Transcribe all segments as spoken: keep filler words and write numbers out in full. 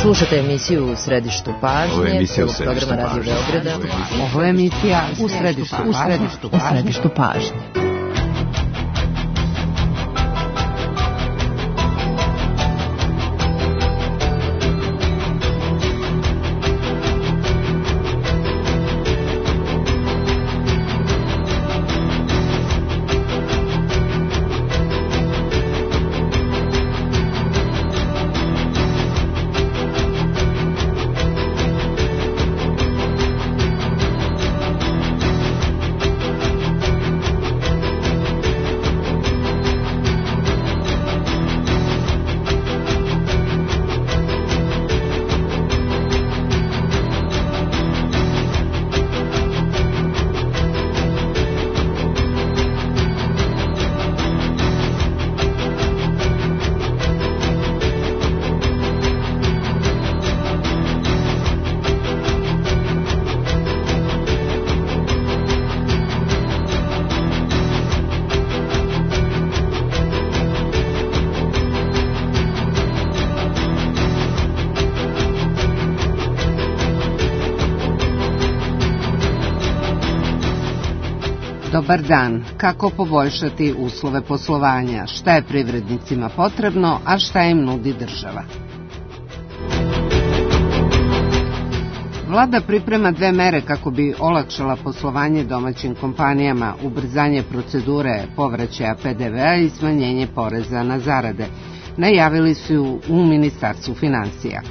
Slušate emisiju U središtu pažnje, prvog programa Radio Beograda. Ovo je emisija U središtu, u središtu, u središtu pažnje. Dobar dan. Kako poboljšati uslove poslovanja? Šta je privrednicima potrebno, a šta im nudi država? Vlada priprema dve mere kako bi olakšala poslovanje domaćim kompanijama, ubrzanje procedure povraćaja P D V-a i smanjenje poreza na zarade. Najavili su u Ministarstvu finansija.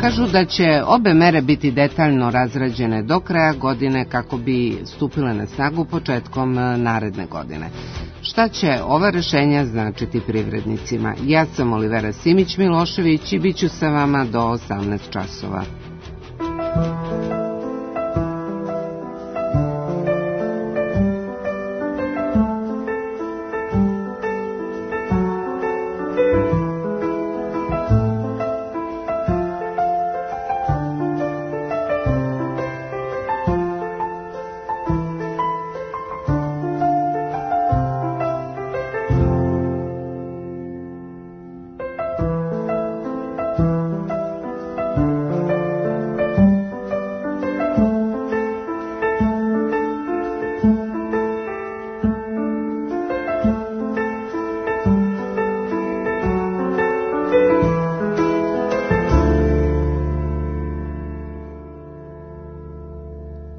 Kažu da će obe mere biti detaljno razrađene do kraja godine kako bi stupile na snagu početkom naredne godine. Šta će ova rešenja značiti privrednicima? Ja sam Olivera Simić-Milošević i bit ću sa vama do osamnaest časova.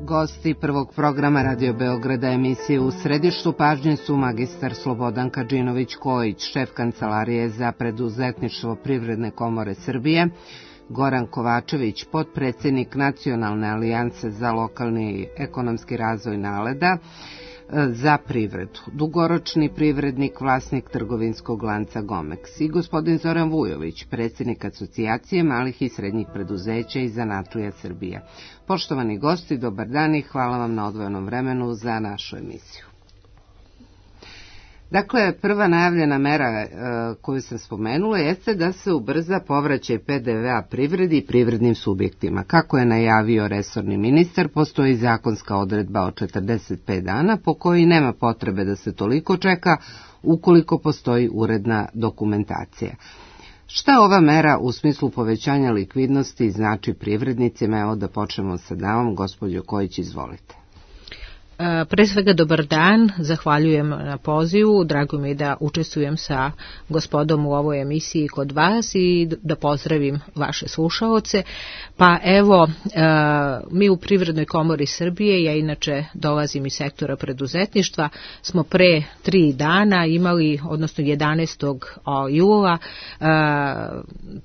Gosti prvog programa Radio Beograda emisije U središtu pažnje su magistar Slobodan Kadžinović-Kojić, šef Kancelarije za preduzetništvo Privredne komore Srbije, Goran Kovačević, potpredsednik Nacionalne alijanse za lokalni ekonomski razvoj NALED-a za privredu, dugoročni privrednik, vlasnik trgovinskog lanca Gomex, i gospodin Zoran Vujović, predsjednik Asocijacije malih i srednjih preduzeća i zanatlija Srbije. Poštovani gosti, dobar dan i hvala vam na odvojenom vremenu za našu emisiju. Dakle, prva najavljena mera e, koju sam spomenula jeste da se ubrza povraćaj P D V-a privredi i privrednim subjektima. Kako je najavio resorni ministar, postoji zakonska odredba od četrdeset pet dana po kojoj nema potrebe da se toliko čeka ukoliko postoji uredna dokumentacija. Šta ova mera u smislu povećanja likvidnosti znači privrednicima? Evo da počnemo sa davom. Gospođo Kojić, izvolite. Pre svega dobar dan, zahvaljujem na pozivu, drago mi je da učestvujem sa gospodom u ovoj emisiji kod vas i da pozdravim vaše slušaoce. Pa evo, mi u Privrednoj komori Srbije, ja inače dolazim iz sektora preduzetništva, smo pre tri dana imali, odnosno jedanaestog jula,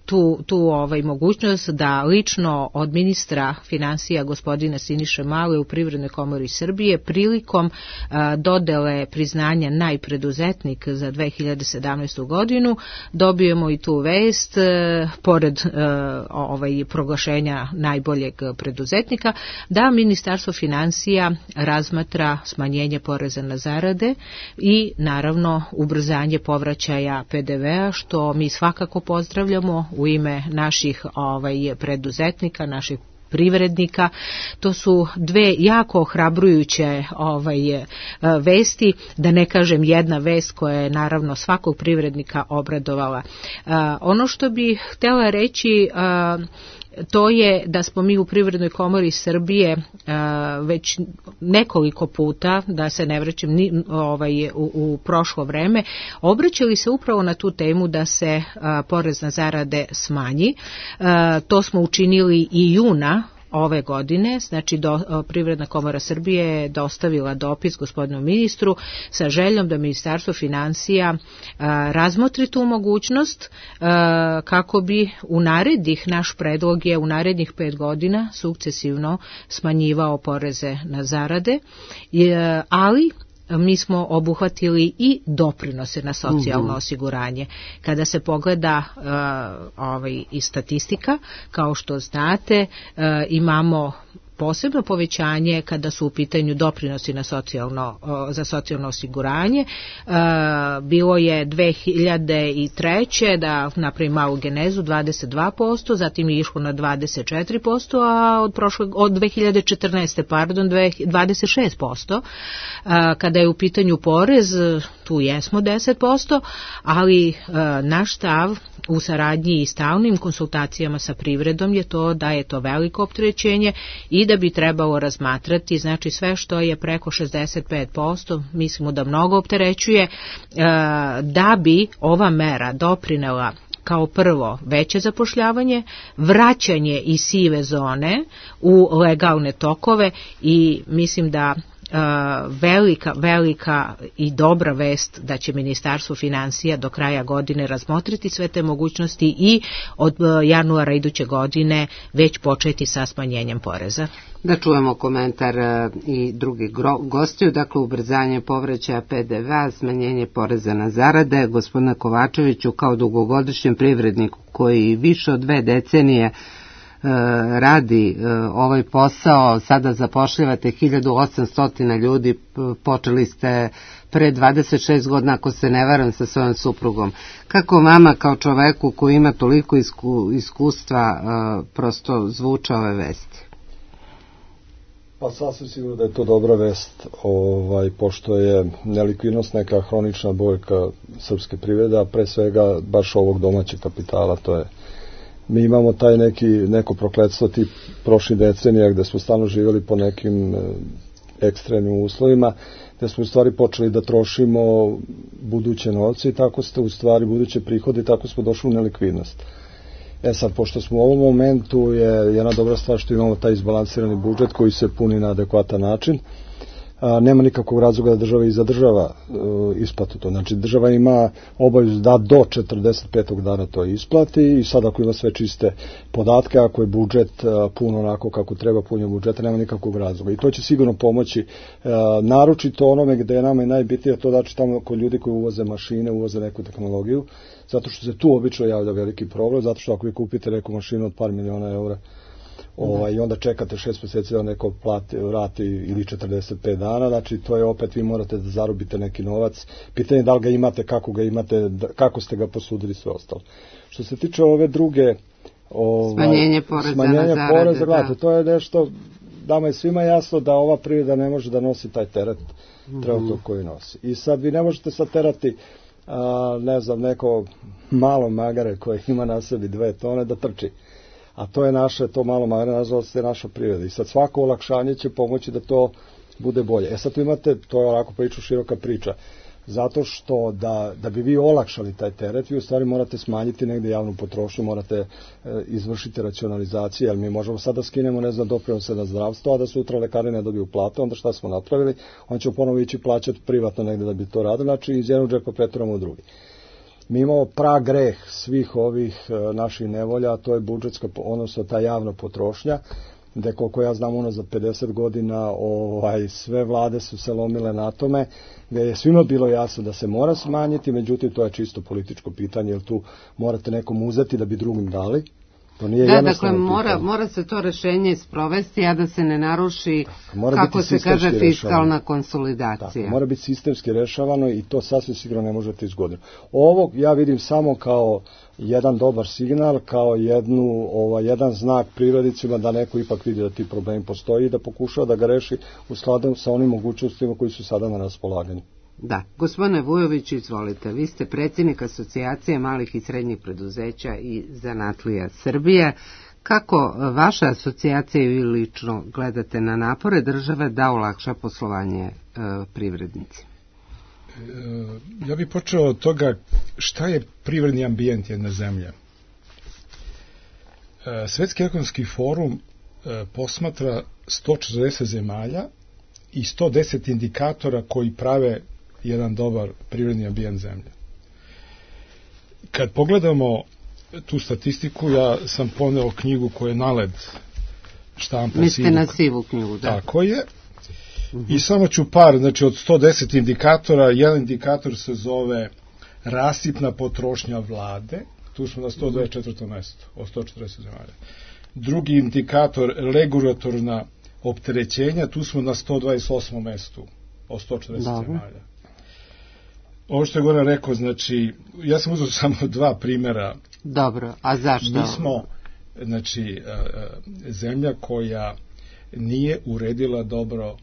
tu, tu ovaj, mogućnost da lično od ministra finansija gospodina Siniše Male u Privrednoj komori Srbije prilikom a, dodele priznanja najpreduzetnik za dve hiljade sedamnaestu godinu dobijemo i tu vest, a, pored a, ovaj, proglašenja najboljeg preduzetnika, da Ministarstvo finansija razmatra smanjenje poreza na zarade i naravno ubrzanje povraćaja P D V-a, što mi svakako pozdravljamo u ime naših ovaj, preduzetnika, naših privrednika. To su dve jako ohrabrujuće ovaj, vesti, da ne kažem jedna vest koja je naravno svakog privrednika obradovala. Ono što bih htjela reći, to je da smo mi u Privrednoj komori Srbije a, već nekoliko puta, da se ne vraćam ni, ovaj, u, u prošlo vreme, obraćali se upravo na tu temu da se a, porez na zarade smanji. A, to smo učinili i juna ove godine, znači do, Privredna komora Srbije je dostavila dopis gospodinu ministru sa željom da Ministarstvo finansija a, razmotri tu mogućnost a, kako bi u narednih, naš predlog je u narednih pet godina sukcesivno smanjivao poreze na zarade, je, ali mi smo obuhvatili i doprinose na socijalno osiguranje. Kada se pogleda uh, ovaj, i statistika, kao što znate, uh, imamo posebno povećanje kada su u pitanju doprinosi na socijalno, za socijalno osiguranje. Bilo je dve hiljade treće da napravim malu genezu dvadeset dva posto, zatim je išlo na dvadeset četiri posto, a od, prošle, od dve hiljade četrnaeste. pardon, dvadeset šest posto. Kada je u pitanju porez, tu jesmo deset posto, ali naš stav u saradnji i stalnim konsultacijama sa privredom je to da je to veliko opterećenje i da bi trebalo razmatrati, znači sve što je preko šezdeset pet posto, mislimo da mnogo opterećuje, da bi ova mera doprinela kao prvo veće zapošljavanje, vraćanje iz sive zone u legalne tokove i mislim da Uh, velika, velika i dobra vest da će Ministarstvo financija do kraja godine razmotriti sve te mogućnosti i od uh, januara iduće godine već početi sa smanjenjem poreza. Da čujemo komentar uh, i drugih gostiju, dakle ubrzanje povraćaja pe de ve a, smanjenje poreza na zarade. Gospodine Kovačeviću, kao dugogodišnjem privredniku koji više od dve decenije radi ovaj posao, sada zapošljavate hiljadu osamsto ljudi, počeli ste pre dvadeset šest godina, ako se ne varam, sa svojom suprugom. Kako vama kao čoveku koji ima toliko isku, iskustva prosto zvuče ove vesti? Pa sasvim sigurno da je to dobra vest, ovaj, pošto je nelikvidnost neka hronična boljka srpske privrede, a pre svega baš ovog domaćeg kapitala, to je mi imamo taj neki, neko prokletstvo tih prošlih decenija gde smo stalno živjeli po nekim ekstremnim uslovima, gde smo u stvari počeli da trošimo buduće novce i tako ste u stvari buduće prihode i tako smo došli u nelikvidnost. E sad, pošto smo u ovom momentu je jedna dobra stvar što imamo taj izbalansirani budžet koji se puni na adekvatan način, a, nema nikakvog razloga da država i zadržava uh, isplatu to. Znači država ima obavezu da do četrdeset petog dana to isplati i sad ako ima sve čiste podatke, ako je budžet uh, pun onako kako treba punje budžeta, nema nikakvog razloga. I to će sigurno pomoći uh, naročito onome gde je nama i najbitnije, to znači tamo kod ljudi koji uvoze mašine, uvoze neku tehnologiju, zato što se tu obično javlja veliki problem, zato što ako vi kupite neku mašinu od par miliona eura, Ovaj, i onda čekate šest mjeseci da neko plati, vrati ili četrdeset pet dana, znači to je opet vi morate da zarobite neki novac, pitanje da li ga imate, kako ga imate, kako ste ga posudili, sve ostalo. Što se tiče ove druge ovaj, smanjenje poreza smanjenje na zarade, poreza, gledate, to je nešto, dama je svima jasno da ova privreda ne može da nosi taj teret mm-hmm. trenutno koji nosi. I sad vi ne možete sad terati a, ne znam, neko malo magare koje ima na sebi dve tone da trči. A to je naše, to malo magare, nažalost, je naša privreda. I sad svako olakšanje će pomoći da to bude bolje. E sad tu imate, to je ovako priču široka priča, zato što da, da bi vi olakšali taj teret, vi u stvari morate smanjiti negde javnu potrošnju, morate e, izvršiti racionalizaciju, jer mi možemo sad da skinemo, ne znam, doprinose na zdravstvo, a da sutra lekari ne dobiju plate, onda šta smo napravili? On će ponovo ići plaćati privatno negde da bi to radili, znači iz jednog džepa preturamo u drugi. Mi imamo prag greh svih ovih e, naših nevolja, a to je budžetska, odnosno ta javna potrošnja, gde koliko ja znam unazad pedeset godina ovaj, sve vlade su se lomile na tome, gde je svima bilo jasno da se mora smanjiti, međutim to je čisto političko pitanje, jer tu morate nekom uzeti da bi drugim dali. To nije da, dakle, mora, mora se to rešenje sprovesti, a da se ne naruši, kako se kaže, fiskalna konsolidacija. Tako, mora biti sistemski rešavano i to sasvim sigurno ne možete iz godine. Ovo ja vidim samo kao jedan dobar signal, kao jednu, ovaj, jedan znak privrednicima da neko ipak vidi da ti problemi postoji i da pokušava da ga reši u skladu sa onim mogućnostima koji su sada na raspolaganju. Da, gospodine Vujović, izvolite, vi ste predsjednik Asocijacije malih i srednjih preduzeća i zanatlija Srbije. Kako vaša asocijacija i lično gledate na napore države da olakša poslovanje e, privrednici? E, ja bih počeo od toga šta je privredni ambijent jedne zemlje. E, Svetski ekonomski forum e, posmatra sto četrdeset zemalja i sto deset indikatora koji prave jedan dobar privredni ambijent zemlje. Kad pogledamo tu statistiku, ja sam poneo knjigu koja je Naled štampa. Mislite na sivu knjigu, da. Tako je. Uh-huh. I samo ću par, znači od sto deset indikatora, jedan indikator se zove rasipna potrošnja vlade, tu smo na sto dvadeset četvrtom mestu od sto četrdeset zemalja. Drugi indikator, regulatorna opterećenja, tu smo na sto dvadeset osmom mestu od sto četrdeset Dobre. zemalja. Ovo što je Goran rekao, znači, ja sam uzeo samo dva primjera. Dobro, a zašto? Mi smo, znači, zemlja koja nije uredila dobro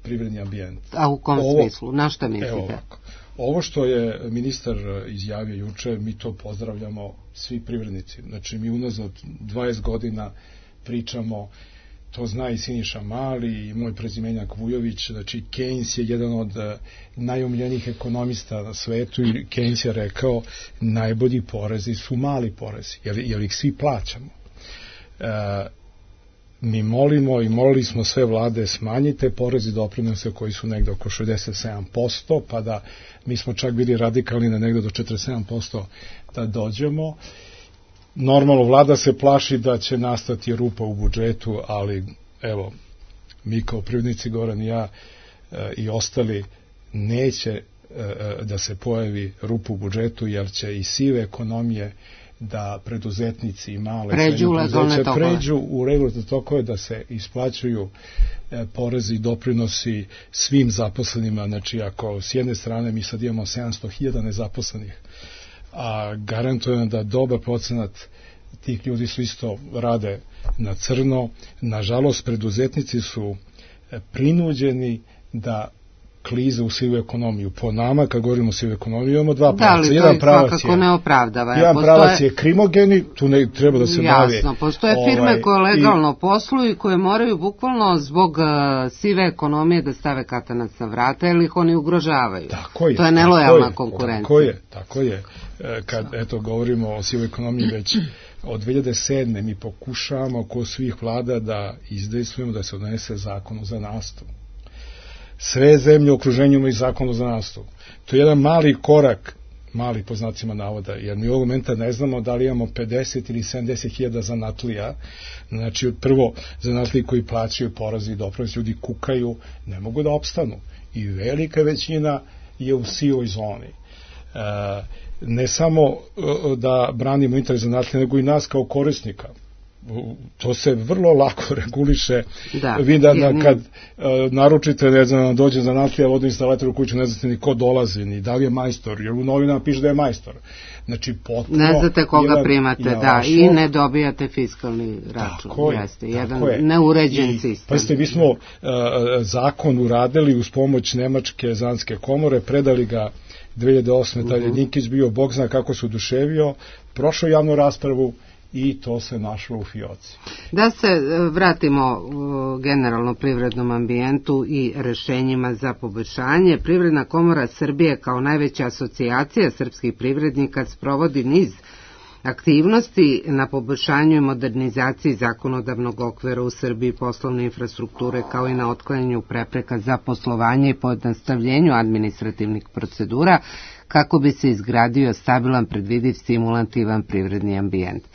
privredni ambijent. A u kom ovo, smislu? Na šta mislite? Evo ovako. Ovo što je ministar izjavio juče, mi to pozdravljamo svi privrednici. Znači, mi unazad dvadeset godina pričamo, to zna i Siniša Mali i moj prezimenjak Vujović, znači Keynes je jedan od najomiljenijih ekonomista na svetu i Keynes je rekao najbolji porezi su mali porezi, jer, jer ih svi plaćamo. E, mi molimo i molili smo sve vlade smanjite porezi doprinose koji su negde oko šezdeset sedam posto, pa da mi smo čak bili radikalni na negde do četrdeset sedam posto da dođemo. Normalno, vlada se plaši da će nastati rupa u budžetu, ali evo, mi kao privrednici, Goran i ja e, i ostali, neće e, da se pojavi rupa u budžetu, jer će i sive ekonomije da preduzetnici i male pređu, preduzeća pređu u regulatorne tokove, da se isplaćuju e, porezi i doprinosi svim zaposlenima. Znači, ako s jedne strane mi sad imamo sedamsto hiljada nezaposlenih, a garantujem da dobar procenat tih ljudi su isto rade na crno. Nažalost, preduzetnici su prinuđeni da klize u sivu ekonomiju. Po nama, kad govorimo o sivu ekonomiju, imamo dva pravca. Da, jedan pravac je, ne opravdava. Jedan postoje, pravac je krimogeni, tu ne treba da se bavi. Jasno, postoje firme ovaj, koje legalno i, posluju i koje moraju bukvalno zbog uh, sive ekonomije da stave katanac na vrata, jer ih oni ugrožavaju. Tako je. To je nelojalna je, konkurencija. Tako je, tako je. Kad, eto, govorimo o sivoj ekonomiji već od dve hiljade sedme mi pokušavamo kod svih vlada da izdejstvujemo da se odnese zakon o zanatstvu. Sve zemlje u okruženju imaju zakon o zanatstvu. To je jedan mali korak, mali po znacima navoda, jer mi ovog momenta ne znamo da li imamo pedeset ili sedamdeset hiljada zanatlija. Znači, prvo, zanatliji koji plaćaju porezi i doprinosi, ljudi kukaju, ne mogu da opstanu. I velika većina je u sivoj zoni. E, ne samo da branimo interes zanatlija, nego i nas kao korisnika. To se vrlo lako reguliše. Da, vi da, da kad uh, naručite, ne znam, dođe zanatlija vodoinstalator u kuću, ne znate ni ko dolazi, ni da li je majstor, jer u novinama piše da je majstor. Znači, potpuno... Ne znate koga jedan, primate, da, vašo, i ne dobijate fiskalni račun. Tako je, jeste, jedan je. Neuređen I, sistem. Pa ste, mi smo uh, zakon uradili uz pomoć Nemačke zanatske komore, predali ga dve hiljade osme Uh-huh. Taj Dinkić bio, Bog zna kako se oduševio, prošao javnu raspravu i to se našlo u fioci. Da se vratimo u generalno privrednom ambijentu i rešenjima za poboljšanje. Privredna komora Srbije kao najveća asocijacija srpskih privrednika sprovodi niz aktivnosti na poboljšanju i modernizaciji zakonodavnog okvira u Srbiji, poslovne infrastrukture, kao i na otklanjanju prepreka za poslovanje i pojednostavljenju administrativnih procedura, kako bi se izgradio stabilan, predvidiv, stimulativan privredni ambijent. E,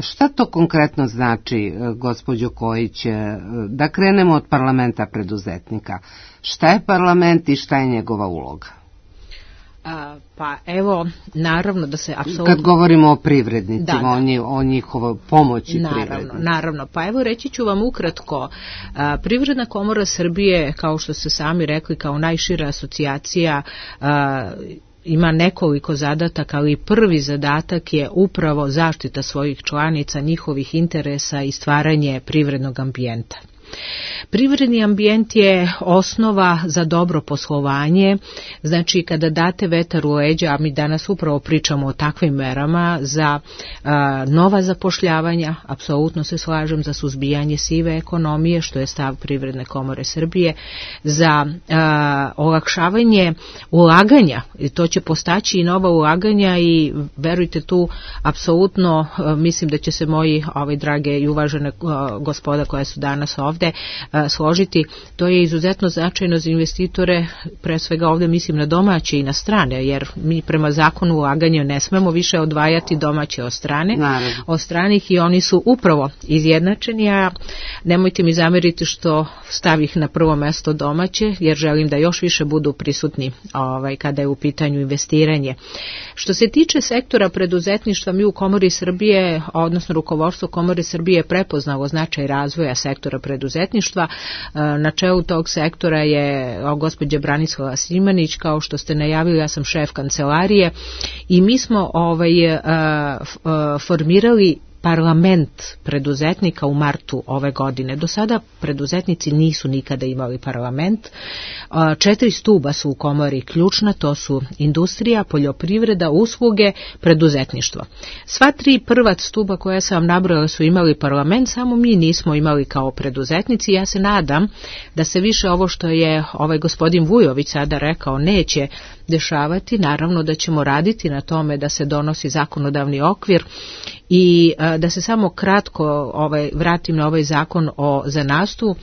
šta to konkretno znači, gospođo Kojić, da krenemo od parlamenta preduzetnika? Šta je parlament i šta je njegova uloga? A, pa evo, naravno da se apsolutno... Kad govorimo o privrednicima, da, da. o njihovoj pomoći naravno, privrednicima. Naravno, pa evo reći ću vam ukratko. A, Privredna komora Srbije, kao što ste sami rekli, kao najšira asocijacija, a, ima nekoliko zadataka, ali prvi zadatak je upravo zaštita svojih članica, njihovih interesa i stvaranje privrednog ambijenta. Privredni ambijent je osnova za dobro poslovanje, znači kada date vetar u leđa, a mi danas upravo pričamo o takvim merama za a, nova zapošljavanja, apsolutno se slažem, za suzbijanje sive ekonomije, što je stav Privredne komore Srbije, za a, olakšavanje ulaganja, i to će postaći i nova ulaganja i verujte tu, apsolutno a, mislim da će se moji ovaj, drage i uvažene a, gospoda koje su danas ovde složiti, to je izuzetno značajno za investitore, pre svega ovde mislim na domaće i na strane, jer mi prema zakonu ulaganja ne smemo više odvajati domaće od strane, Naravno. od stranih i oni su upravo izjednačeni, a nemojte mi zameriti što stavih na prvo mesto domaće, jer želim da još više budu prisutni ovaj, kada je u pitanju investiranje. Što se tiče sektora preduzetništva, mi u Komori Srbije, odnosno rukovodstvo Komore Srbije je prepoznalo značaj razvoja sektora preduzetništva. Na čelu tog sektora je gospođa Branislava Simanić, kao što ste najavili, ja sam šef kancelarije i mi smo ovaj, formirali parlament preduzetnika u martu ove godine. Do sada preduzetnici nisu nikada imali parlament. Četiri stuba su u komori ključna, to su industrija, poljoprivreda, usluge, preduzetništvo. Sva tri prva stuba koja sam vam nabrojala su imali parlament, samo mi nismo imali kao preduzetnici. Ja se nadam da se više ovo što je ovaj gospodin Vujović sada rekao neće dešavati. Naravno da ćemo raditi na tome da se donosi zakonodavni okvir i da se samo kratko ovaj, vratim na ovaj zakon o zanatstvu.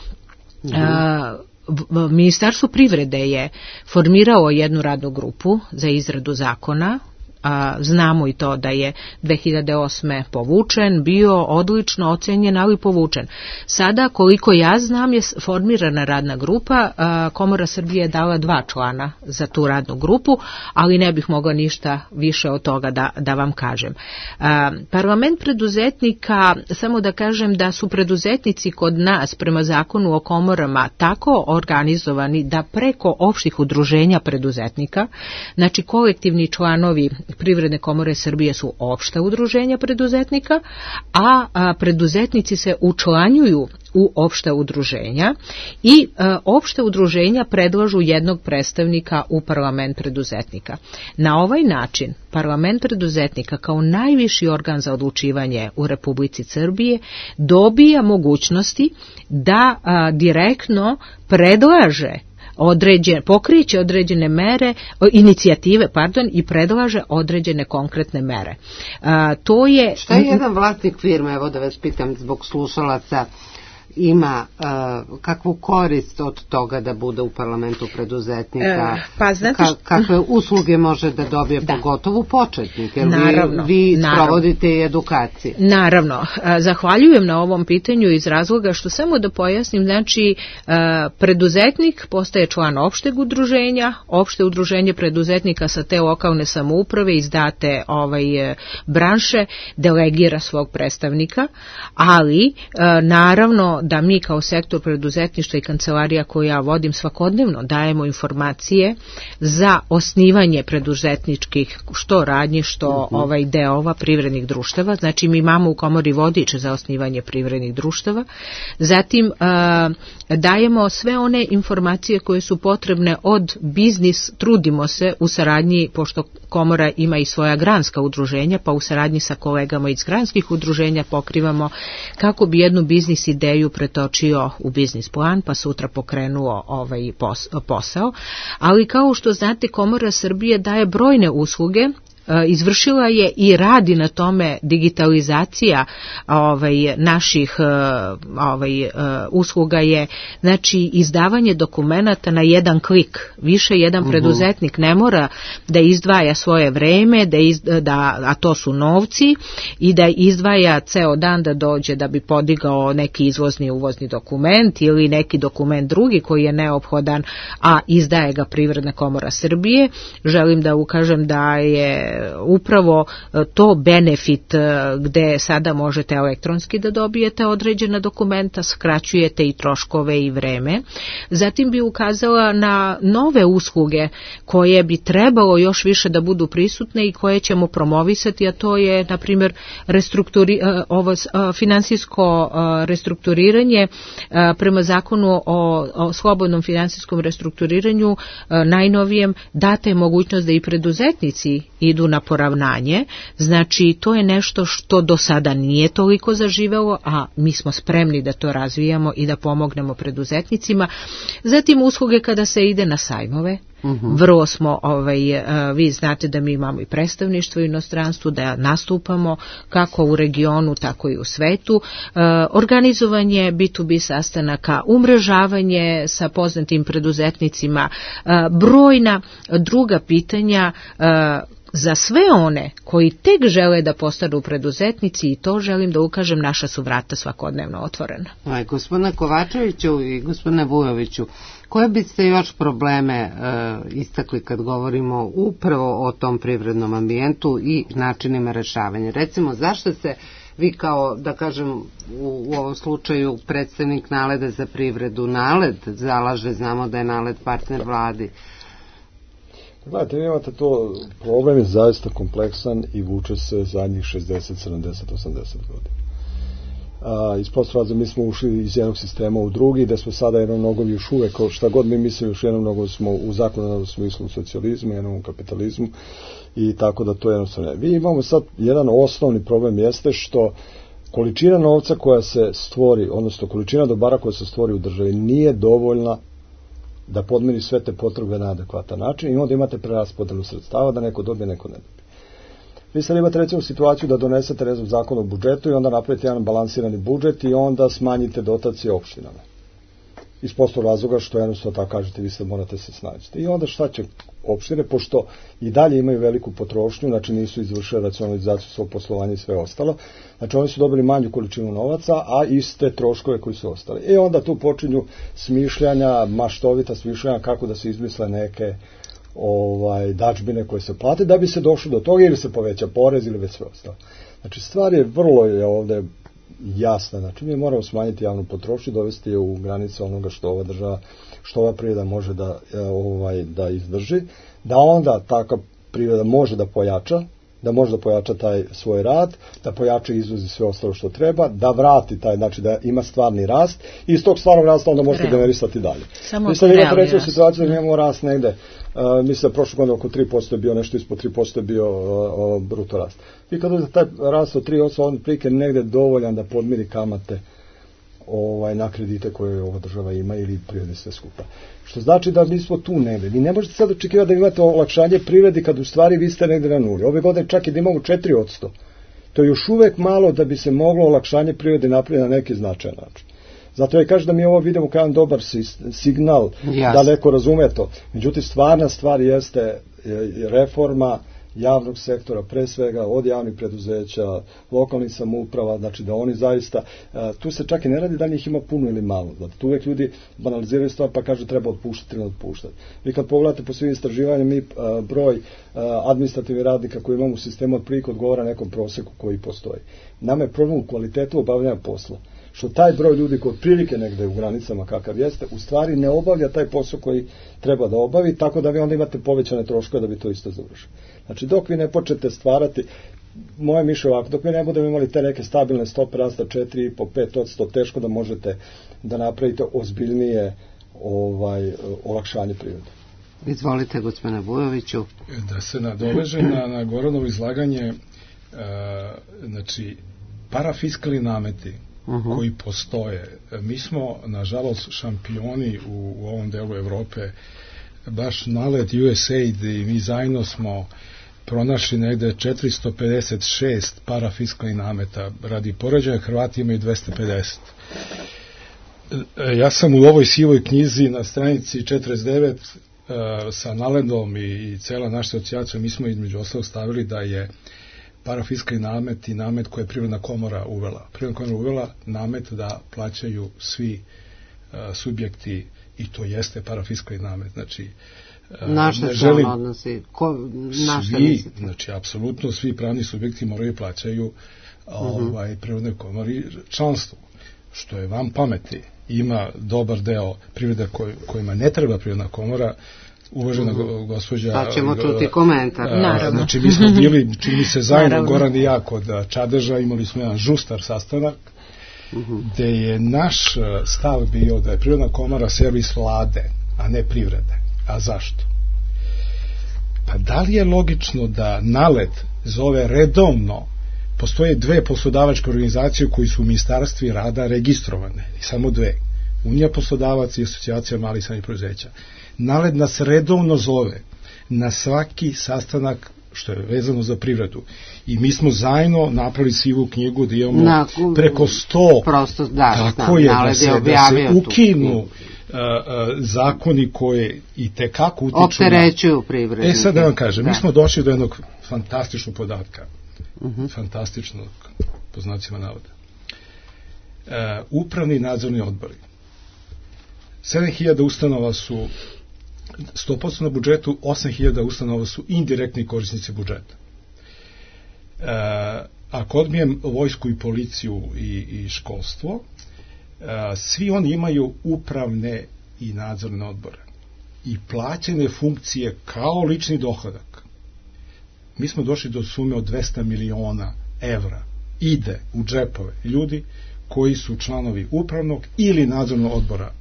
Mm-hmm. Ministarstvo privrede je formiralo jednu radnu grupu za izradu zakona. A, znamo i to da je dve hiljade osme povučen, bio odlično ocenjen, ali povučen. Sada, koliko ja znam, je formirana radna grupa, a, Komora Srbije je dala dva člana za tu radnu grupu, ali ne bih mogla ništa više od toga da, da vam kažem. A, parlament preduzetnika, samo da kažem da su preduzetnici kod nas prema zakonu o komorama tako organizovani da preko opštih udruženja preduzetnika, znači kolektivni članovi Privredne komore Srbije su opšta udruženja preduzetnika, a, a preduzetnici se učlanjuju u opšta udruženja i a, opšta udruženja predlažu jednog predstavnika u parlament preduzetnika. Na ovaj način parlament preduzetnika kao najviši organ za odlučivanje u Republici Srbije dobija mogućnosti da a, direktno predlaže određene, pokriće određene mere, inicijative, pardon, i predlaže određene konkretne mere. A, to je... Šta je jedan vlasnik firme, evo da vas pitam zbog slušalaca, ima uh, kakvu korist od toga da bude u parlamentu preduzetnika, e, pa, znate Ka, kakve usluge može da dobije, da. Pogotovo početnik, jer naravno, vi, vi naravno. provodite i edukacije. Naravno, zahvaljujem na ovom pitanju iz razloga što samo da pojasnim, znači preduzetnik postaje član opšteg udruženja, opšte udruženje preduzetnika sa te lokalne samouprave iz date ovaj, branše delegira svog predstavnika, ali naravno da mi kao sektor preduzetništva i kancelarija koju ja vodim svakodnevno dajemo informacije za osnivanje preduzetničkih što radnji, što uh-huh. ovaj deova privrednih društava. Znači mi imamo u komori vodič za osnivanje privrednih društava. Zatim uh, dajemo sve one informacije koje su potrebne od biznis, trudimo se u saradnji, pošto komora ima i svoja granska udruženja, pa u saradnji sa kolegama iz granskih udruženja pokrivamo kako bi jednu biznis ideju pretočio u biznis plan, pa sutra pokrenuo ovaj posao. Ali kao što znate, Komora Srbije daje brojne usluge izvršila je i radi na tome digitalizacija ovaj, naših ovaj, usluga je, znači, izdavanje dokumenata na jedan klik. Više jedan preduzetnik ne mora da izdvaja svoje vreme, da izda, da, a to su novci, i da izdvaja ceo dan da dođe da bi podigao neki izvozni uvozni dokument ili neki dokument drugi koji je neophodan, a izdaje ga Privredna komora Srbije. Želim da ukažem da je upravo to benefit gde sada možete elektronski da dobijete određena dokumenta, skraćujete i troškove i vreme. Zatim bi ukazala na nove usluge koje bi trebalo još više da budu prisutne i koje ćemo promovisati, a to je, na primjer, restrukturi, ovo finansijsko restrukturiranje prema zakonu o, o slobodnom finansijskom restrukturiranju najnovijem data je mogućnost da i preduzetnici idu na poravnanje. Znači, to je nešto što do sada nije toliko zaživelo, a mi smo spremni da to razvijamo i da pomognemo preduzetnicima. Zatim usluge kada se ide na sajmove. Uh-huh. Vrlo smo, ovaj, vi znate da mi imamo i predstavništvo u inostranstvu, da nastupamo kako u regionu, tako i u svetu. Organizovanje bi tu bi sastanaka, umrežavanje sa poznatim preduzetnicima, brojna druga pitanja za sve one koji tek žele da postanu preduzetnici, i to želim da ukažem, naša su vrata svakodnevno otvorena. Aj, gospodine Kovačeviću i gospodine Vujoviću, koje biste još probleme e, istakli kad govorimo upravo o tom privrednom ambijentu i načinima rešavanja? Recimo, zašto se vi kao, da kažem, u, u ovom slučaju predstavnik Naleda za privredu, Naled zalaže, znamo da je Naled partner vladi? Gledajte, vi imate to, problem je zaista kompleksan i vuče se zadnjih šezdeset, sedamdeset, osamdeset godina. A, iz postrazda mi smo ušli iz jednog sistema u drugi, da smo sada jednom nogom još uvek, šta god mi mislimo, još jednom nogom smo u zakonodavnom smislu u socijalizmu, jednom u kapitalizmu, i tako da to jednostavno ne. Vi imamo sad jedan osnovni problem, jeste što količina novca koja se stvori, odnosno količina dobara koja se stvori u državi nije dovoljna da podmiri sve te potrebe na adekvatan način, i onda imate preraspodelu sredstava da neko dobije, neko ne dobije. Vi sad imate recimo situaciju da donesete, ne znam, zakon o budžetu i onda napravite jedan balansirani budžet i onda smanjite dotacije opštinama. Iz prostog razloga što jednostavno tako kažete, vi sad morate se snaći. I onda šta će opštine, pošto i dalje imaju veliku potrošnju, znači nisu izvršili racionalizaciju svog poslovanja i sve ostalo, znači oni su dobili manju količinu novaca, a iste troškove koji su ostali. I onda tu počinju smišljanja, maštovita smišljanja kako da se izmisle neke ovaj dačbine koje se plate da bi se došlo do toga, ili se poveća porez ili već sve ostalo. Znači stvar je vrlo je ovde jasna, znači mi moramo smanjiti javnu potrošnju, dovesti je u granice onoga što ova država, što ova privreda može da ovaj da izdrži, da onda taka privreda može da pojača, da može da pojača taj svoj rad, da pojača izvoz i sve ostalo što treba, da vrati taj, znači da ima stvarni rast, i iz tog stvarnog rasta onda možete generisati dalje. Samo mislim da imate recimo situaciju da imamo rast negde, uh, mislim da prošle godine oko tri posto je bio, nešto ispod tri posto je bio uh, uh, bruto rast. I kad uzete taj rast od tri posto, on prike negde dovoljan da podmiri kamate ovaj, na kredite koje ova država ima ili privredi sve skupa. Što znači da mi smo tu negde. Vi ne možete sad očekivati da imate olakšanje privredi kad u stvari vi ste negde na nuli. Ove godine čak i da imamo četiri posto. To je još uvek malo da bi se moglo olakšanje privrede napraviti na neki značajan način. Zato ja kažem da mi ovo vidimo kao jedan dobar signal, yes, da neko razume to. Međutim, stvarna stvar jeste reforma javnog sektora, pre svega od javnih preduzeća, lokalnih samouprava, znači da oni zaista, tu se čak i ne radi da njih ima puno ili malo, znači tu uvek ljudi banaliziraju stvar pa kažu treba otpuštati ili otpuštati. Vi kad pogledate po svim istraživanjima, mi broj administrativnih radnika koji imamo u sistemu otprilike odgovara nekom proseku koji postoji. Nama je problem u kvalitetu obavljanja posla, što taj broj ljudi koji otprilike negde u granicama kakav jeste, u stvari ne obavlja taj posao koji treba da obavi, tako da vi onda imate povećane troškove da bi to isto završili. Znači, dok vi ne počnete stvarati, moje mišljenje ovako, dok vi ne budemo imali te neke stabilne stope rasta četiri i po do pet posto, teško da možete da napravite ozbiljnije ovaj, olakšanje privrede. Izvolite, gospodine Vujoviću. Da se nadoveže na, na Goranovo izlaganje, e, znači, parafiskalni nameti uh-huh. koji postoje. Mi smo, nažalost, šampioni u, u ovom delu Evrope, baš Naled U S A I D i mi zajedno smo pronašli negde četiristo pedeset šest parafiskalnih nameta. Radi poređenja, Hrvati imaju dvesta pedeset. Ja sam u ovoj sivoj knjizi na stranici četrdeset devet uh, sa Naledom i, i cela naša asocijacija, mi smo između ostalog stavili da je parafiskalni namet i namet koje je Privredna komora uvela. Privredna komora uvela namet da plaćaju svi uh, subjekti, i to jeste parafiskalni namet. Znači, uh, naše ne želim, odnosi, ko, naše svi, mislite? znači, apsolutno svi pravni subjekti moraju plaćaju ovaj, uh-huh. Privrednoj komori članstvo, što je vam pameti. Ima dobar deo privreda koj, kojima ne treba Privredna komora, uvažena uh-huh. gospođa... Pa ćemo čuti komentar. A, znači, mi smo bili, čini se zajedno, Goran i ja, kod Čadeža, imali smo jedan žustar sastanak, uh-huh. gde je naš stav bio da je Privredna komora servis vlade, a ne privrede. A zašto? Pa da li je logično da Nalet zove redovno, postoje dve poslodavačke organizacije koji su u ministarstvi rada registrovane, samo dve, Unija poslodavaca i Asocijacija malih i srednjih preduzeća. Nalet nas redovno zove na svaki sastanak što je vezano za privredu. I mi smo zajedno napravili sivu knjigu da imamo na, preko sto prosto, da, tako je, da se, da se ukinu uh, uh, zakoni koje i tekako utiču opterećuju privrednike. E sad da vam kažem, da. Mi smo došli do jednog fantastičnog podatka. Uh-huh. Fantastičnog, po znacima navoda. Uh, upravni i nadzorni odbori. sedam hiljada ustanova su sto posto na budžetu, osam hiljada ustanova su indirektni korisnici budžeta. E, ako odbijem vojsku i policiju i, i školstvo, e, svi oni imaju upravne i nadzorne odbore i plaćene funkcije kao lični dohodak. Mi smo došli do sume od dvesta miliona evra. Ide u džepove ljudi koji su članovi upravnog ili nadzornog odbora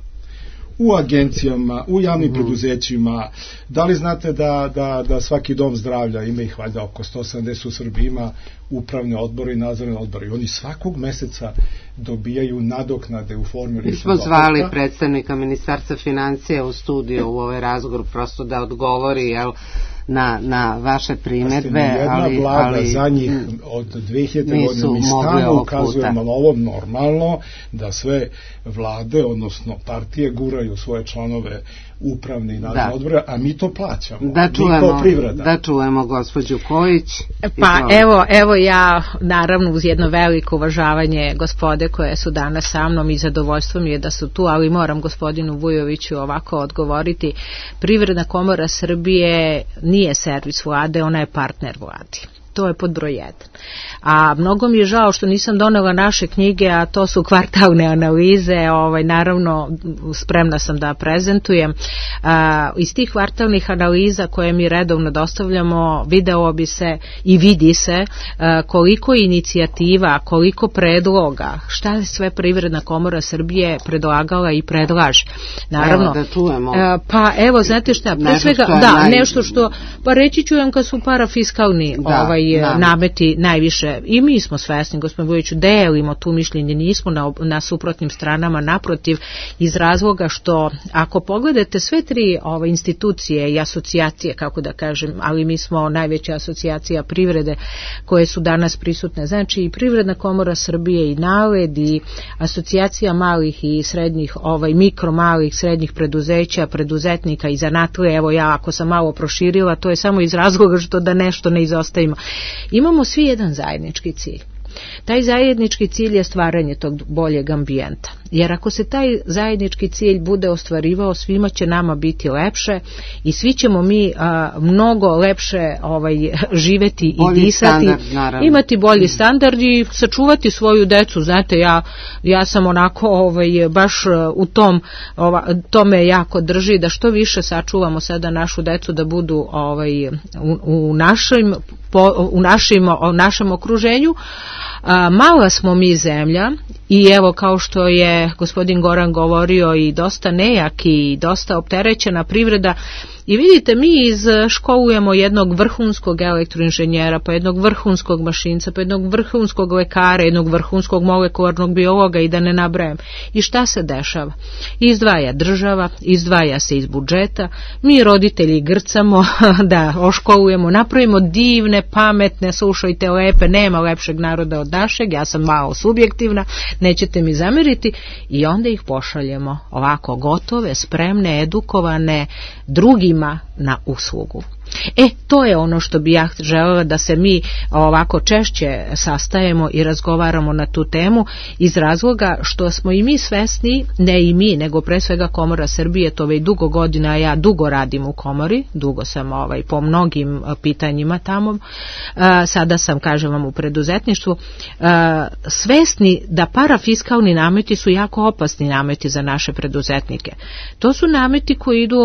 u agencijama, u javnim mm. preduzećima. Da li znate da, da, da svaki dom zdravlja, ima ih valjda oko sto sedamdeset u Srbiji, ima upravne odbore i nadzorne odbore. I oni svakog meseca dobijaju nadoknade u formi ličnog dohotka. Mi smo zvali predstavnika Ministarstva financija u studiju u ovaj razgovor prosto da odgovori, jel, na, na vaše primedbe. Jedna ali, vlada ali, za njih od dve hiljade godine mi stalno ukazujemo na ovo normalno da sve vlade, odnosno partije guraju svoje članove upravne i nadzorne odbore, a mi to plaćamo. Da čujemo, da čujemo gospođu Kojić. Pa evo, evo ja naravno uz jedno veliko uvažavanje gospode koje su danas sa mnom i zadovoljstvo mi je da su tu, ali moram gospodinu Vujoviću ovako odgovoriti. Privredna komora Srbije nije servis vlade, ona je partner vladi. To je pod broj jedan. A mnogo mi je žao što nisam donela naše knjige, a to su kvartalne analize, ovaj, naravno spremna sam da prezentujem. A, iz tih kvartalnih analiza koje mi redovno dostavljamo, video bi se i vidi se a, koliko inicijativa, koliko predloga, šta je sve Privredna komora Srbije predlagala i predlaže. Naravno, evo da čujemo. A, pa evo, znate šta, pre svega, da, naj... nešto što, pa reći ću vam kad su parafiskalni da. ovaj, Da. nameti najviše i mi smo svesni, gospodin Vujoviću, delimo tu mišljenje, nismo na, na suprotnim stranama, naprotiv, iz razloga što ako pogledate sve tri ove institucije i asocijacije, kako da kažem, ali mi smo najveća asocijacija privrede koje su danas prisutne, znači i Privredna komora Srbije i Naled i asocijacija malih i srednjih, ovaj mikro malih srednjih preduzeća, preduzetnika i zanatlije, evo ja ako sam malo proširila, to je samo iz razloga što da nešto ne izostavimo. Imamo svi jedan zajednički cilj. Taj zajednički cilj je stvaranje tog boljeg ambijenta. Jer ako se taj zajednički cilj bude ostvarivao, svima će nama biti lepše i svi ćemo mi a, mnogo lepše ovaj, živeti i bolji disati, standard, imati bolji standard i sačuvati svoju decu. Znate, ja, ja sam onako ovaj, baš u tom, ova, tome jako drži da što više sačuvamo sada našu decu da budu ovaj, u, u, našim, po, u, našim, u našem okruženju. A, mala smo mi zemlja i evo kao što je gospodin Goran govorio i dosta nejak i dosta opterećena privreda. I vidite, mi izškolujemo jednog vrhunskog elektroinženjera, pa jednog vrhunskog mašinca, pa jednog vrhunskog lekara, jednog vrhunskog molekularnog biologa i da ne nabrajam. I šta se dešava? Izdvaja država, izdvaja se iz budžeta, mi roditelji grcamo da oškolujemo, napravimo divne, pametne, slušajte, lepe, nema lepšeg naroda od našeg, ja sam malo subjektivna, nećete mi zameriti, i onda ih pošaljemo ovako gotove, spremne, edukovane, drugi na uslugu. E, to je ono što bi ja želela da se mi ovako češće sastajemo i razgovaramo na tu temu, iz razloga što smo i mi svesni, ne i mi, nego pre svega Komora Srbije, to već dugo godina, a ja dugo radim u Komori, dugo sam ovaj, po mnogim pitanjima tamo, a, sada sam, kažem vam, u preduzetništvu, a, svesni da parafiskalni nameti su jako opasni nameti za naše preduzetnike. To su nameti koji idu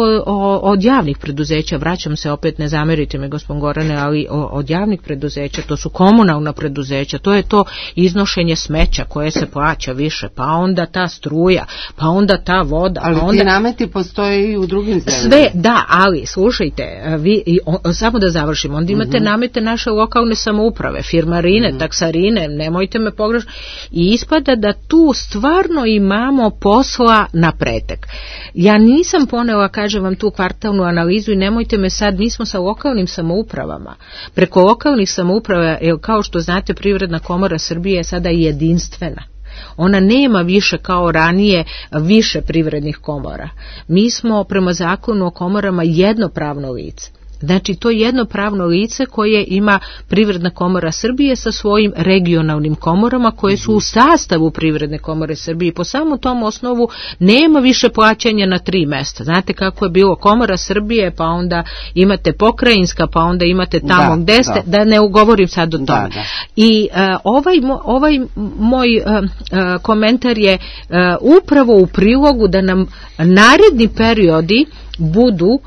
od javnih preduzeća, vraćam se opet, ne zamerite me gospodin Gorane, ali od javnih preduzeća, to su komunalna preduzeća, to je to iznošenje smeća koje se plaća više, pa onda ta struja, pa onda ta voda. Ali pa onda... ti nameti postoje i u drugim zemljama. Sve, da, ali slušajte, vi, i, o, samo da završim, onda imate uh-huh. namete naše lokalne samouprave, firmarine, uh-huh. taksarine, nemojte me pogrešiti, i ispada da tu stvarno imamo posla na pretek. Ja nisam ponela, kažem vam, tu kvartalnu analizu i nemojte me sad, mi smo sa lokalnim samoupravama. Preko lokalnih samouprava, kao što znate, Privredna komora Srbije je sada jedinstvena. Ona nema više kao ranije više privrednih komora. Mi smo prema zakonu o komorama jednopravno lice. Znači, to je jedno pravno lice koje ima Privredna komora Srbije sa svojim regionalnim komorama koje su u sastavu Privredne komore Srbije. Po samom tom osnovu nema više plaćanja na tri mesta. Znate kako je bilo Komora Srbije, pa onda imate pokrajinska, pa onda imate tamo da, gde ste, da. da ne ugovorim sad o tome. Da, da. I uh, ovaj, ovaj moj uh, uh, komentar je uh, upravo u prilogu da nam naredni periodi budu uh,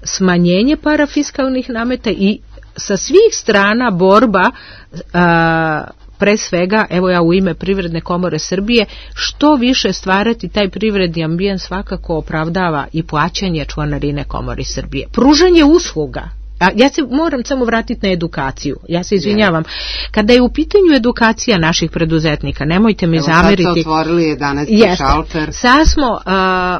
smanjenje parafiskalnih nameta i sa svih strana borba uh, pre svega, evo ja u ime Privredne komore Srbije, što više stvarati taj privredni ambijent svakako opravdava i plaćanje članarine Komori Srbije. Pružanje usluga. A ja se moram samo vratiti na edukaciju. Ja se izvinjavam. Kada je u pitanju edukacija naših preduzetnika, nemojte mi Evo, zameriti. Sad ste otvorili jedanaesti šalter. Sad smo uh,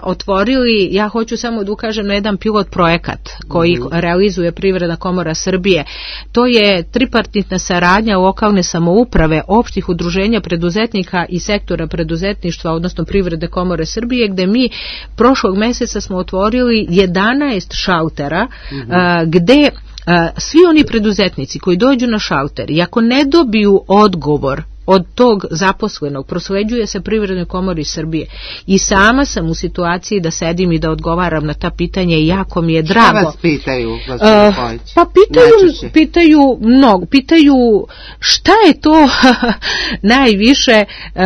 otvorili, ja hoću samo da ukažem na jedan pilot projekat koji mm-hmm. realizuje Privredna komora Srbije. To je tripartitna saradnja lokalne samouprave, opštih udruženja preduzetnika i sektora preduzetništva, odnosno Privredne komore Srbije, gde mi prošlog meseca smo otvorili jedanaest šaltera mm-hmm. uh, gde Uh, svi oni preduzetnici koji dođu na šalter i ako ne dobiju odgovor od tog zaposlenog, prosleđuje se Privrednoj komori Srbije. I sama sam u situaciji da sedim i da odgovaram na ta pitanja i jako mi je drago. Šta vas pitaju, gospođo Pojić? Uh, pa pitaju, pitaju mnogo, pitaju šta je to najviše, uh,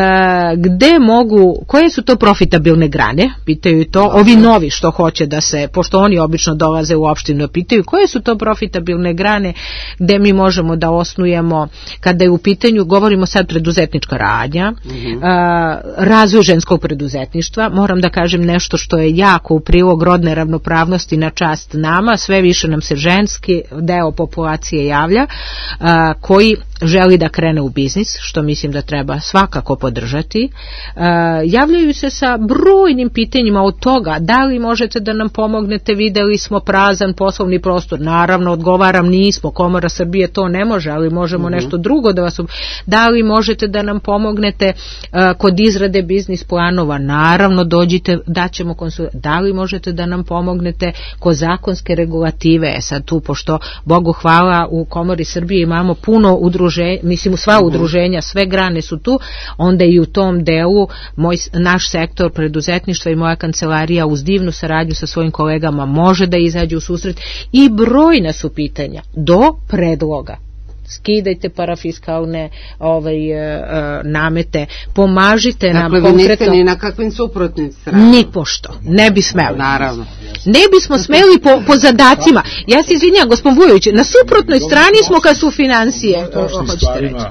gde mogu, koje su to profitabilne grane, pitaju to, Dobre. Ovi novi što hoće da se, pošto oni obično dolaze u opštinu, pitaju koje su to profitabilne grane gde mi možemo da osnujemo, kada je u pitanju, govorimo sad preduzetnička radnja, mm-hmm. a, razvoj ženskog preduzetništva. Moram da kažem nešto što je jako u prilog rodne ravnopravnosti na čast nama, sve više nam se ženski deo populacije javlja, a, koji želi da krene u biznis, što mislim da treba svakako podržati. E, javljaju se sa brojnim pitanjima od toga, da li možete da nam pomognete, videli smo prazan poslovni prostor, naravno odgovaram nismo, Komora Srbije to ne može, ali možemo mm-hmm. nešto drugo da vas, da li možete da nam pomognete e, kod izrade biznis planova, naravno dođite, daćemo konsultaciju, da li možete da nam pomognete kod zakonske regulative, sad tu, pošto Bogu hvala u Komori Srbije imamo puno udruženja, mislim sva udruženja, sve grane su tu, onda i u tom delu moj, naš sektor preduzetništva i moja kancelarija uz divnu saradnju sa svojim kolegama može da izađe u susret i brojna su pitanja do predloga. Skidajte parafiskalne ovaj, uh, namete, pomažite dakle, nam konkretno. Dakle, vi niste ni na kakvim suprotnim stranama. Ni pošto, ne bi smeli. Naravno. Ne bismo smeli po, po zadacima. Ja se izvinjam, gospodin Vujović, na suprotnoj strani smo kad su financije. Hoćete reći.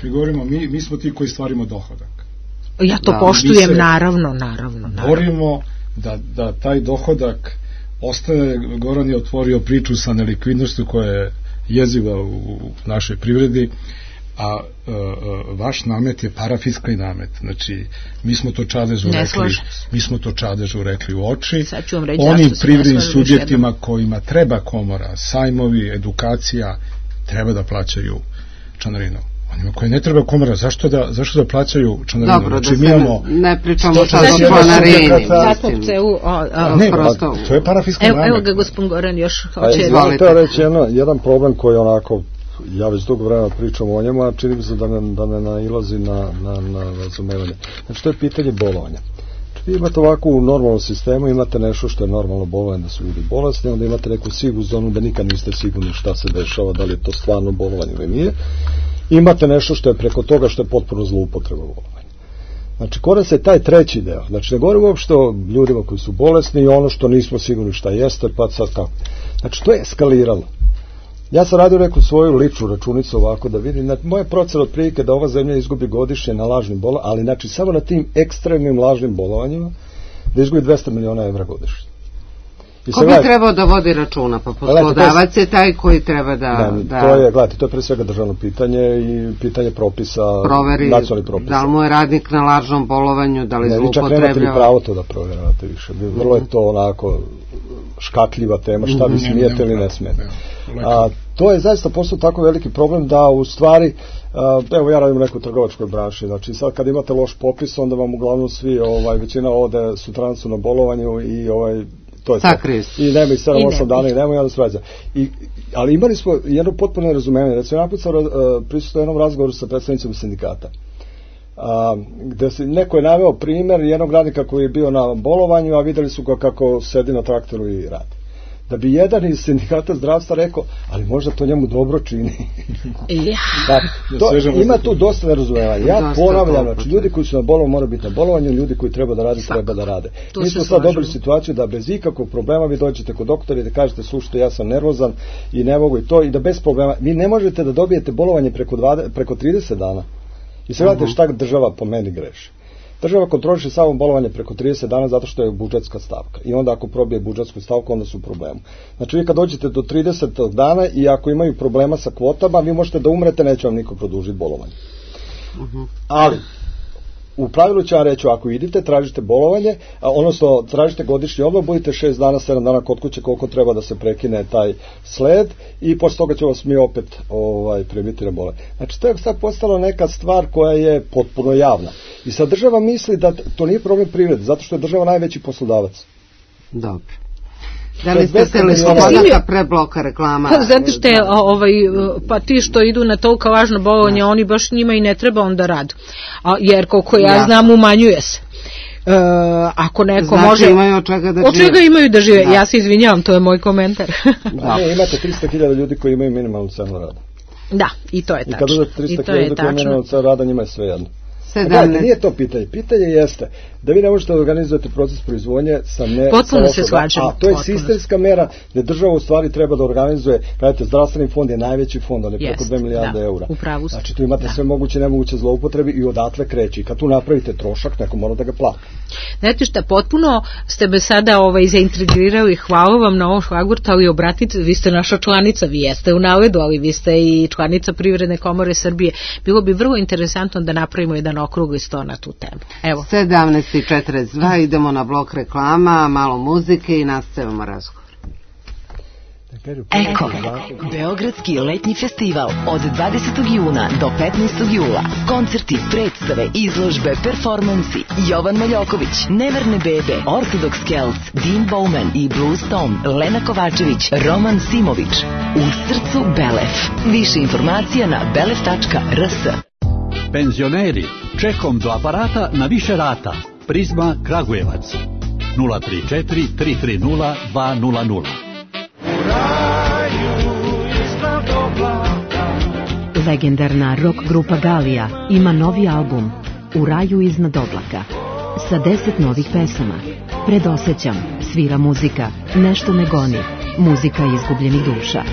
Mi govorimo, mi, mi smo ti koji stvarimo dohodak. Ja to da, poštujem, naravno, naravno. naravno. Borimo da, da taj dohodak ostane. Goran je otvorio priču sa nelikvidnošću koja je jeziva u, u našoj privredi, a e, vaš namet je parafiskalni namet. Znači, mi smo to Čadežu ne rekli, mi smo to Čadežu rekli u oči. Onim privrednim subjektima kojima treba komora, sajmovi, edukacija, treba da plaćaju članarinu. Onima koji ne treba komora, zašto da, zašto da plaćaju članarinu? Dobro, znači, da mi se imamo ne pričamo sad o članarini. Ne, to je parafiskalni namet. Evo ga, gospodin Goran još hoće. Izvolite reći jedan problem koji onako, ja već dugo vremena pričam o njemu, a čini mi se da ne, da ne nailazi na, na, na razumevanje. Znači, to je pitanje bolovanja. Znači, vi imate ovako u normalnom sistemu, imate nešto što je normalno bolovanje, da su ljudi bolesni, onda imate neku sivu zonu da nikad niste sigurni šta se dešava, da li je to stvarno bolovanje ili nije. Imate nešto što je preko toga što je potpuno zloupotreba bolovanja. Znači, kod se taj treći deo. Znači, ne govorim uopšte o ljudima koji su bolesni i ono što nismo sigurni šta jeste, pa sad kako. Znači, to je eskaliralo. Ja sam radio neku svoju ličnu računicu ovako da vidim. Znači, moja procena otprilike da ova zemlja izgubi godišnje na lažnim bolovanjima, ali znači samo na tim ekstremnim lažnim bolovanjima da izgubi dvesta miliona evra godišnje. Ko bi trebao da vodi računa? Pa poslodavac je taj koji treba da... Ne, da to je, gledajte, to je pre svega državno pitanje i pitanje propisa, proveri, nacionalnih propisa. Da li mu je radnik na lažnom bolovanju, da li zloupotrebljava... Ne, vi čak nemate li pravo to da proveravate više. Vrlo je to onako škakljiva tema, šta vi smijete ili ne smijete. A, to je zaista postao tako veliki problem da u stvari, a, evo ja radim u nekoj trgovačkoj branši, znači sad kad imate loš popis, onda vam uglavnom svi, ovaj, većina ode sutradan su na bolovanju i ovaj, to je to. I nema i sedam osam dana i nema i onda svađa. I, ali imali smo jedno potpuno razumevanje. Recimo, naput sam uh, prisutio jednom razgovoru sa predstavnicima sindikata. Uh, gde se, neko je naveo primjer jednog radnika koji je bio na bolovanju, a videli su ga kako sedi na traktoru i radi. Da bi jedan iz sindikata zdravstva rekao, ali možda to njemu dobro čini. Da, to, ima tu dosta nerazumevanja. Ja ponavljam, znači, ljudi koji su na bolovanju moraju biti na bolovanju, ljudi koji treba da rade, treba da rade. Mi smo sad dobili situaciju da bez ikakvog problema vi dođete kod doktora i da kažete, slušajte, ja sam nervozan i ne mogu i to, i da bez problema, vi ne možete da dobijete bolovanje preko, dvadeset, preko trideset dana. I sve gledate šta država po meni greši. Država kontroliše samo bolovanje preko trideset dana zato što je budžetska stavka. I onda ako probije budžetsku stavku, onda su u problemu. Znači vi kad dođete do trideset dana i ako imaju problema sa kvotama, vi možete da umrete, neće vam niko produžiti bolovanje. Uh-huh. Ali, u pravilu ću vam reći, ako idete, tražite bolovanje, a odnosno tražite godišnji odmor, budite šest dana, sedam dana kod kuće, koliko treba da se prekine taj sled i posle toga ću vas mi opet ovaj, primiti na bolovanje. Znači to je sad postala neka stvar koja je potpuno javna. I sad država misli da to nije problem privrede, zato što je država najveći poslodavac. Dobro. Da li ste se li slobodaka prebloka reklama? Znate što je, ovaj, pa ti što idu na toliko važno bolovanje, oni baš njima i ne treba onda rad. A, jer koliko ja, ja. znam, umanjuje se. E, ako neko znači, može... imaju od čega da žive. Od čega imaju da žive? Da. Ja se izvinjavam, to je moj komentar. Da. Ne, imate tristo hiljada ljudi koji imaju minimalnu cenu rada. Da, i to je tačno. I kad uzete tristo hiljada ljudi koji imaju minimalnu cenu rada, njima je sve jedno. sedamnaest Nije to pitanje. Pitanje jeste da vi ne možete da organizujete proces proizvodnje sa ne... Potpuno se shvaćamo. A to je sistemska mera gde država u stvari treba da organizuje, gledajte, zdravstveni fond je najveći fond, on je preko dve milijarde eura. Znači tu imate da. sve moguće nemoguće zloupotrebi i odatle kreće. I kad tu napravite trošak, neko mora da ga plati. Znate šta, potpuno ste me sada ovaj, zaintrigirali, hvala vam na ovom šlagvortu, ali obratite, vi ste naša članica, vi jeste u Naledu, ali vi ste i članica Privredne komore Srbije. Bilo bi vrlo interesantno da napravimo jedan okrugli sto na tu temu. Evo. sedamnaest i četrdeset dva, idemo na blok reklama, malo muzike i nastavimo razgovor. Eko, Beogradski letnji festival od dvadesetog juna do petnaestog jula. Koncerti, predstave, izložbe, performansi. Jovan Maljoković, Neverne bebe, Orthodox Celts, Dean Bowman i Blues Tom, Lena Kovačević, Roman Simović. U srcu Belef. Više informacija na belef tačka r s. Penzioneri, čekom do aparata na više rata. Prizma Kragujevac. nula tri četiri tri tri nula dva nula nula. Legendarna rock grupa Galija ima novi album U raju iznad oblaka sa deset novih pesama. Predosećam, svira muzika, nešto me goni, muzika izgubljenih duša.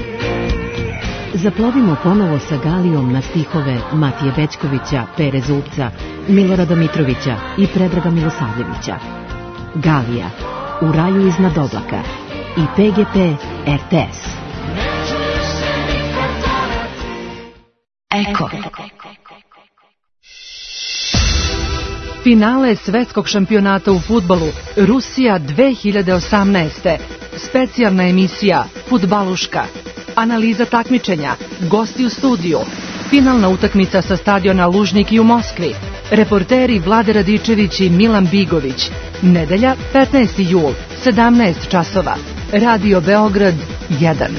Zaplovimo ponovo sa Galijom na stihove Matije Bećkovića, Pere Zubca, Milorada Mitrovića i Predraga Milosavljevića. Galija, U raju iznad oblaka i P G P R T S. Eko. Finale svetskog šampionata u fudbalu Rusija dve hiljade osamnaeste. Specijalna emisija Fudbaluška. Analiza takmičenja, gosti u studiju, finalna utakmica sa stadiona Lužniki u Moskvi, reporteri Vlade Radičević i Milan Bigović. Nedelja, petnaesti jul, sedamnaest časova. Radio Beograd jedan.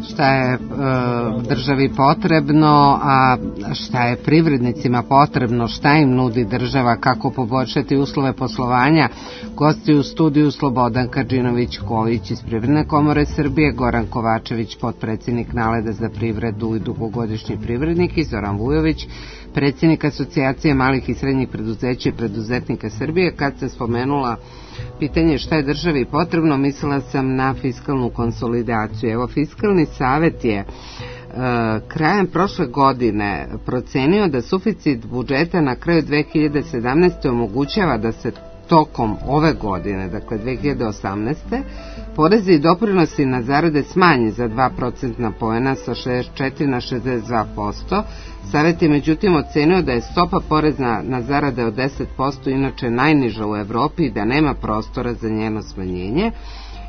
Šta je državi potrebno, a šta je privrednicima potrebno, šta im nudi država, kako poboljšati uslove poslovanja. Gosti u studiju Slobodan Kadžinović-Ković iz Privredne komore Srbije, Goran Kovačević, potpredsjednik Naleda za privredu i dugogodišnji privrednik, i Zoran Vujović, predsjednik Asocijacije malih i srednjih preduzeća i preduzetnika Srbije. Kad se spomenula pitanje šta je državi potrebno, mislila sam na fiskalnu konsolidaciju. Evo, Fiskalni savet je e, krajem prošle godine procenio da suficit budžeta na kraju dve hiljade sedamnaeste. omogućava da se tokom ove godine, dakle dve hiljade osamnaeste. porezi i doprinosi na zarade smanje za dva procentna poena sa šezdeset četiri na šezdeset dva posto. Savet je međutim ocenio da je stopa poreza na zarade od deset posto inače najniža u Evropi i da nema prostora za njeno smanjenje,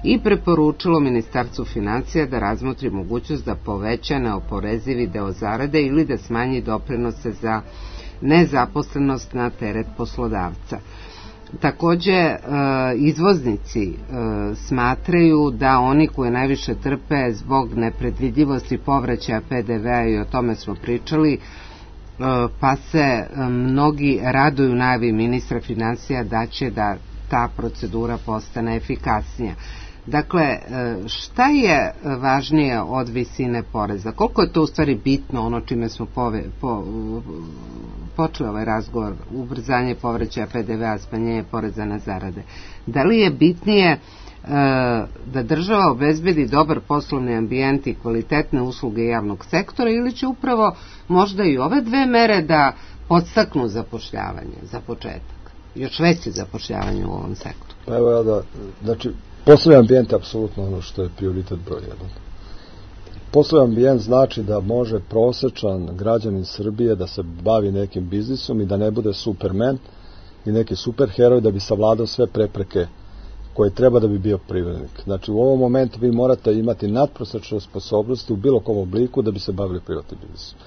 i preporučilo Ministarstvu financija da razmotri mogućnost da poveća neoporezivi deo zarade ili da smanji doprinose za nezaposlenost na teret poslodavca. Takođe, izvoznici smatraju da oni koji najviše trpe zbog nepredvidljivosti povraćaja P D V-a, i o tome smo pričali, pa se mnogi raduju najavi ministra finansija da će da ta procedura postane efikasnija. Dakle, šta je važnije od visine poreza? Koliko je to u stvari bitno, ono čime smo pove, po, počeli ovaj razgovor, ubrzanje povraćaja P D V-a, smanjenje poreza na zarade? Da li je bitnije da država obezbedi dobar poslovni ambijent i kvalitetne usluge javnog sektora, ili će upravo možda i ove dve mere da podstaknu zapošljavanje za početak, još veće zapošljavanje u ovom sektoru? Pa evo ja da, znači, poslovni ambijent je apsolutno ono što je prioritet broj jedan. Poslovni ambijent znači da može prosečan građanin Srbije da se bavi nekim biznisom i da ne bude superman i neki superheroj da bi savladao sve prepreke koje treba da bi bio privrednik. Znači, u ovom momentu vi morate imati nadprosečne sposobnosti u bilo kom obliku da bi se bavili privatnim biznisom.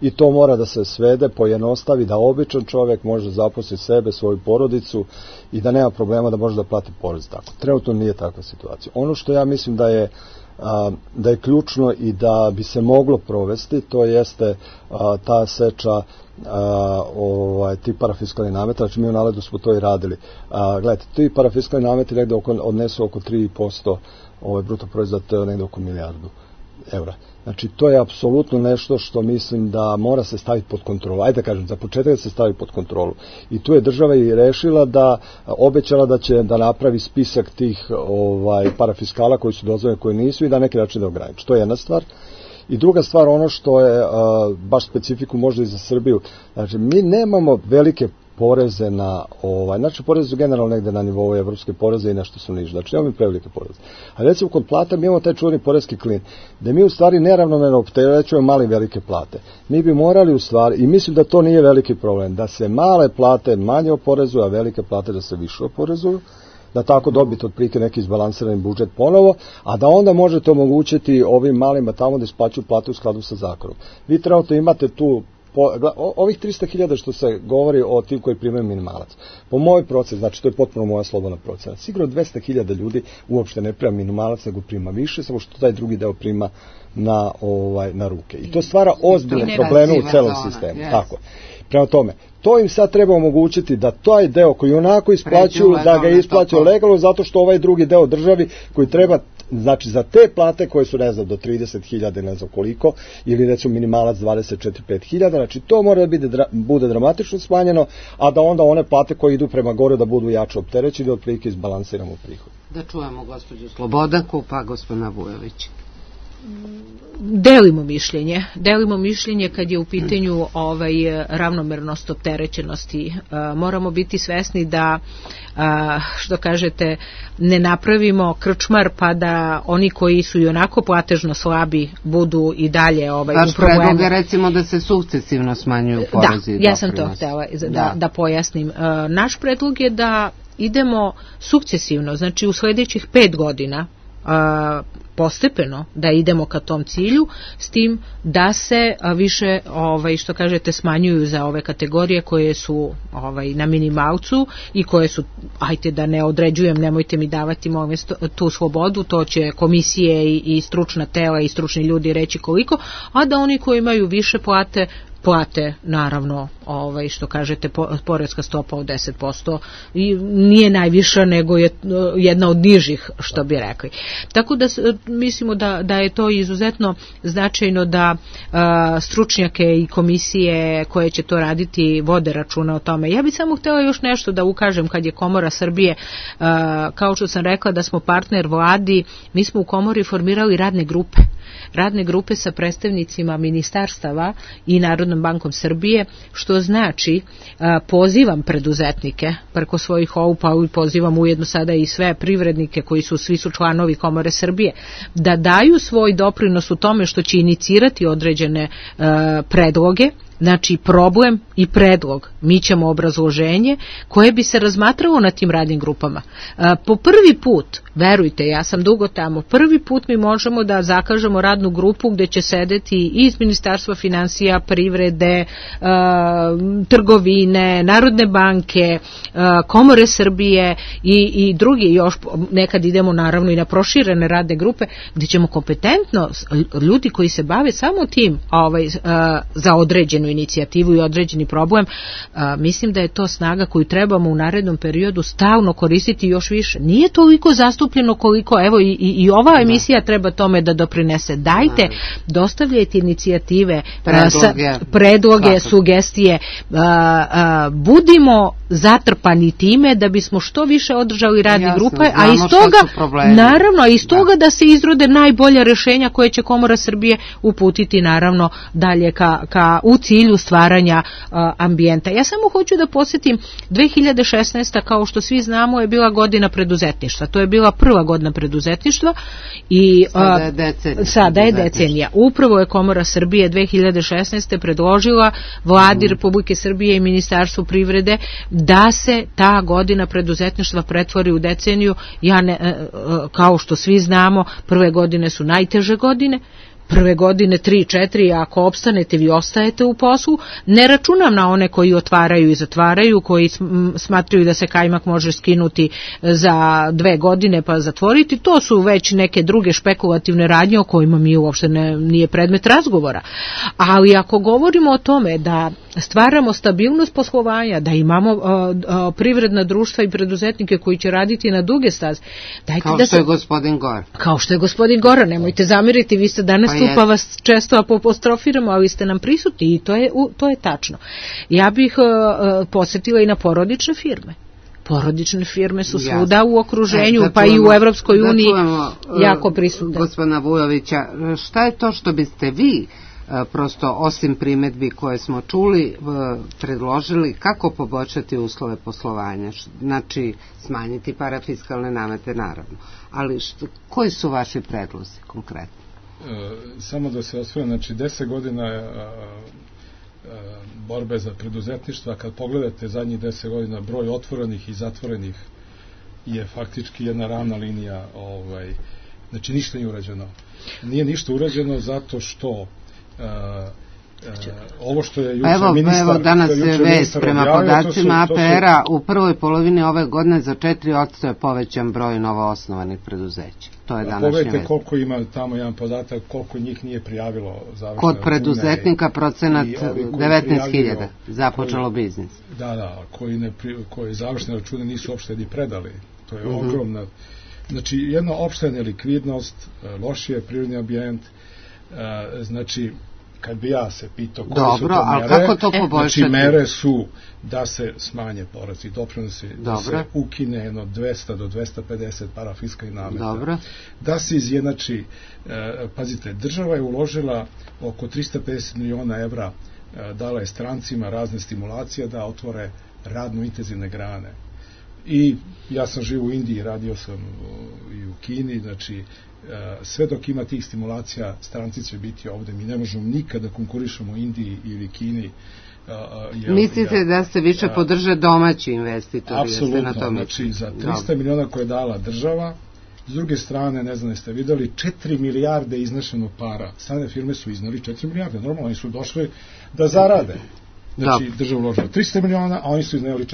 I to mora da se svede, pojednostavi, da običan čovjek može da zaposli sebe, svoju porodicu i da nema problema da može da plati porez tako. Trenutno nije takva situacija. Ono što ja mislim da je, a, da je ključno i da bi se moglo provesti, to jeste a, ta seča a, ovaj, ti parafiskalni nameta, znači mi u Naledu smo to i radili. A, gledajte, ti parafiskalni nameti negde oko, odnesu oko tri posto ovaj, bruto proizvoda, to je negde oko milijardu evra. Znači, to je apsolutno nešto što mislim da mora se staviti pod kontrolu. Ajde da kažem, za početak da se stavi pod kontrolu. I tu je država i rešila da, obećala da će da napravi spisak tih ovaj, parafiskala koji su dozvoljeni, koji nisu, i da neki način da ograniči. To je jedna stvar. I druga stvar, ono što je a, baš specifiku možda i za Srbiju, znači, mi nemamo velike poreze na, ovaj, znači poreze su generalno negde na nivou evropske poreze i nešto su niže, znači nemamo prevelike poreze. A recimo kod plata mi imamo taj čuveni poreski klin, da mi u stvari neravnomerno opterećujemo male i velike plate. Mi bi morali u stvari, i mislim da to nije veliki problem, da se male plate manje oporezuju, a velike plate da se više oporezuju, da tako dobiti otprilike neki izbalansirani budžet ponovo, a da onda možete omogućiti ovim malima tamo da isplaćuju plate u skladu sa zakonom. Vi trenutno imate tu Po, ovih trista hiljada što se govori o tim koji primaju minimalac. Po mojoj proceni, znači to je potpuno moja slobodna procena, sigurno dvesta hiljada ljudi uopšte ne prima minimalac, nego prima više, samo što taj drugi deo prima na, ovaj, na ruke. I to stvara ozbiljne probleme u celom sistemu. Yes. Tako. Prema tome, to im sad treba omogućiti da taj deo koji onako isplaćuju, da ga isplaćuju legalno, zato što ovaj drugi deo državi koji treba, znači za te plate koje su, ne znam, do trideset hiljada, ne znam koliko, ili recimo minimalac dvadeset četiri do pet hiljada, znači to mora da bude, bude dramatično smanjeno, a da onda one plate koje idu prema gore da budu jače opterećene, da otprilike izbalansiramo prihod. Da čujemo gospođu Slobodanku, pa gospodina Vujović. Delimo mišljenje, delimo mišljenje kad je u pitanju ovaj ravnomernost opterećenosti. E, moramo biti svesni da, a, što kažete, ne napravimo krčmar pa da oni koji su i onako platežno slabi budu i dalje ovaj, u problemu. Vaš predlog je recimo da se sukcesivno smanjuju porezi. Da, ja sam to htjela da, da. da pojasnim. E, naš predlog je da idemo sukcesivno, znači u sljedećih pet godina a, postepeno da idemo ka tom cilju, s tim da se a, više, ovaj, što kažete, smanjuju za ove kategorije koje su ovaj, na minimalcu i koje su, ajte da ne određujem, nemojte mi davati molim tu slobodu, to će komisije i, i stručna tela i stručni ljudi reći koliko, a da oni koji imaju više plate plate, naravno, ovaj, što kažete, poreska stopa od deset posto i nije najviša, nego je jedna od nižih, što bi rekli. Tako da mislimo da, da je to izuzetno značajno da a, stručnjake i komisije koje će to raditi vode računa o tome. Ja bih samo htjela još nešto da ukažem kad je Komora Srbije, a, kao što sam rekla da smo partner vladi, mi smo u Komori formirali radne grupe. Radne grupe sa predstavnicima ministarstava i Narodnom bankom Srbije, što znači pozivam preduzetnike preko svojih O U P-a i pozivam ujedno sada i sve privrednike koji su svi su članovi Komore Srbije da daju svoj doprinos u tome što će inicirati određene predloge znači problem i predlog, mi ćemo obrazloženje koje bi se razmatralo na tim radnim grupama. Po prvi put, verujte, ja sam dugo tamo, prvi put mi možemo da zakažemo radnu grupu gde će sedeti iz Ministarstva finansija, privrede, trgovine, Narodne banke, Komore Srbije i, i drugi, još nekad idemo naravno i na proširene radne grupe gde ćemo kompetentno, ljudi koji se bave samo tim ovaj, za određenu inicijativu i određeni problem, mislim da je to snaga koju trebamo u narednom periodu stalno koristiti još više. Nije toliko zastupljeno koliko, evo i, i, i ova emisija treba tome da doprinese. Dajte, dostavljajte inicijative, predloge, predloge sugestije, budimo zatrpani time da bismo što više održali radne grupe, a iz toga, naravno, a iz toga da se izrode najbolja rešenja koje će Komora Srbije uputiti naravno dalje ka, ka, u cilju stvaranja uh, ambijenta. Ja samo hoću da podsjetim, dve hiljade šesnaesta kao što svi znamo je bila godina preduzetništva. To je bila prva godina preduzetništva i uh, sada je decenija. Sada je decenija. Upravo je Komora Srbije dve hiljade šesnaeste predložila Vladi mm. Republike Srbije i Ministarstvu privrede da se ta godina preduzetništva pretvori u deceniju. Ja ne, uh, kao što svi znamo, prve godine su najteže godine, prve godine tri četiri, ako opstanete vi ostajete u poslu, ne računam na one koji otvaraju i zatvaraju, koji smatraju da se kajmak može skinuti za dve godine pa zatvoriti, to su već neke druge špekulativne radnje o kojima mi uopšte ne, nije predmet razgovora. Ali ako govorimo o tome da stvaramo stabilnost poslovanja, da imamo uh, uh, privredna društva i preduzetnike koji će raditi na duge staze, dajte kao da što se, je gospodin Gora. Kao što je gospodin Gora, nemojte zamiriti, vi ste danas pa tu pa vas često apostrofiramo, ali ste nam prisutni i to je, to je tačno. Ja bih uh, posjetila i na porodične firme. Porodične firme su svuda Jasne. U okruženju, e, pa čujemo, i u Evropskoj uniji čujemo, jako prisutne. Gospodina Vujovića, šta je to što biste vi prosto osim primedbi koje smo čuli predložili kako poboljšati uslove poslovanja, znači smanjiti parafiskalne namete naravno, ali što, koji su vaši predlozi konkretno? E, samo da se osvrnem, znači deset godina a, a, borbe za preduzetništva, kad pogledate zadnjih deset godina broj otvorenih i zatvorenih je faktički jedna ravna linija, ovaj, znači ništa nije urađeno. Nije ništa urađeno zato što Uh, uh, ovo što je juče evo, ministar... Evo danas je vest prema podacima A P R-a u prvoj polovini ove godine za četiri posto je povećan broj novoosnovanih preduzeća. To je današnja vest. Pogledajte koliko ima tamo jedan podatak, koliko njih nije prijavilo završene kod preduzetnika procenat devetnaest hiljada započelo koji, biznis. Da, da, koji, ne, koji završene račune nisu uopšte ni predali. To je uh-huh. ogromna... Znači, jedna opšta nelikvidnost, loš je prirodni ambijent, uh, znači, kad bi ja se pitao koje Dobro, su to mere, kako to znači mere su da se smanje porezi i doprinosi, da se ukine jedno dvesta do dvesta pedeset parafiskalnih nameta, Dobro. da se izjednači, eh, pazite, država je uložila oko trista pedeset miliona evra, eh, dala je strancima razne stimulacije da otvore radno intenzivne grane. I ja sam živ u Indiji, radio sam uh, i u Kini, znači sve dok ima tih stimulacija, stranci će biti ovde. Mi ne možemo nikada konkurišemo Indiji ili Kini. Jel, Mislite ja, da se više podrže domaći investitori? Apsolutno, na tome znači za trista miliona koje je dala država, s druge strane, ne znam, jeste videli, četiri milijarde iznešeno para. Strane firme su iznali četiri milijarde, normalno, oni su došli da zarade. Znači, država uložila trista miliona, a oni su izneli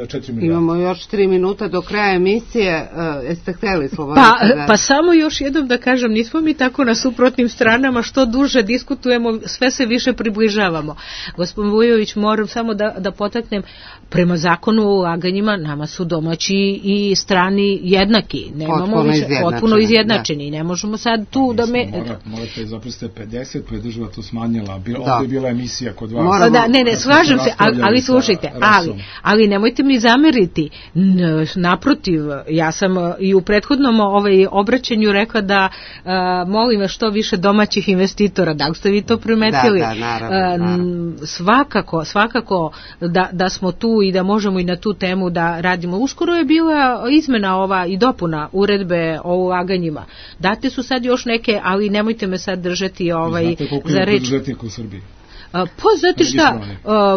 četiri miliona. Imamo još tri minuta do kraja emisije. Uh, jeste hteli slobodno? Pa, da... pa samo još jednom da kažem, nismo mi tako na suprotnim stranama, što duže diskutujemo, sve se više približavamo. Gospodin Vujović, moram samo da, da potaknem, prema zakonu o ulaganjima, nama su domaći i strani jednaki. Nemamo potpuno više, izjednačeni. Potpuno izjednačeni. Da. Ne možemo sad tu da me... Mora, morate zaprosite pedeset, pa je država to smanjila. Bila, da. Ovdje je bila emisija kod vas. Moramo, da, ne, ne, slažem se, ali, ali slušajte, ali, ali nemojte mi zameriti, naprotiv, ja sam i u prethodnom ovaj obraćanju rekla da uh, molim vas što više domaćih investitora, da li ste vi to primetili? Da, da, naravno, naravno. Svakako, svakako da, da smo tu i da možemo i na tu temu da radimo. Uskoro je bila izmena ova i dopuna uredbe o ulaganjima. Date su sad još neke, ali nemojte me sad držati ovaj, znate koliko za je reč. Preduzetnika u Srbiji? Pa znate šta,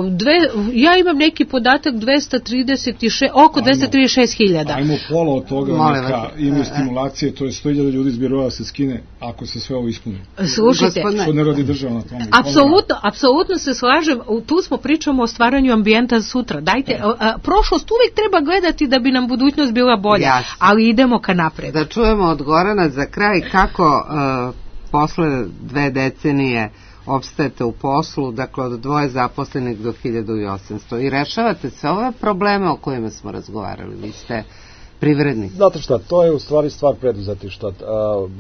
dve, ja imam neki podatak dvesta trideset šest, oko dvesta trideset šest hiljada. Ajmo pola od toga, Mole neka imaju stimulacije, to je sto hiljada ljudi zbirova se skine ako se sve ovo ispuni. Slušajte, što ne radi država na tome. Apsolutno, apsolutno se slažem, tu smo pričamo o stvaranju ambijenta sutra. Dajte, a, a, prošlost uvijek treba gledati da bi nam budućnost bila bolja, Jasne. ali idemo ka napred. Da čujemo od Gorana za kraj kako uh, posle dve decenije opstajete u poslu, dakle od dvoje zaposlenih do hiljadu osamsto i rešavate sve ove probleme o kojima smo razgovarali. Vi ste privrednik. Znate šta, to je u stvari stvar preduzetištva.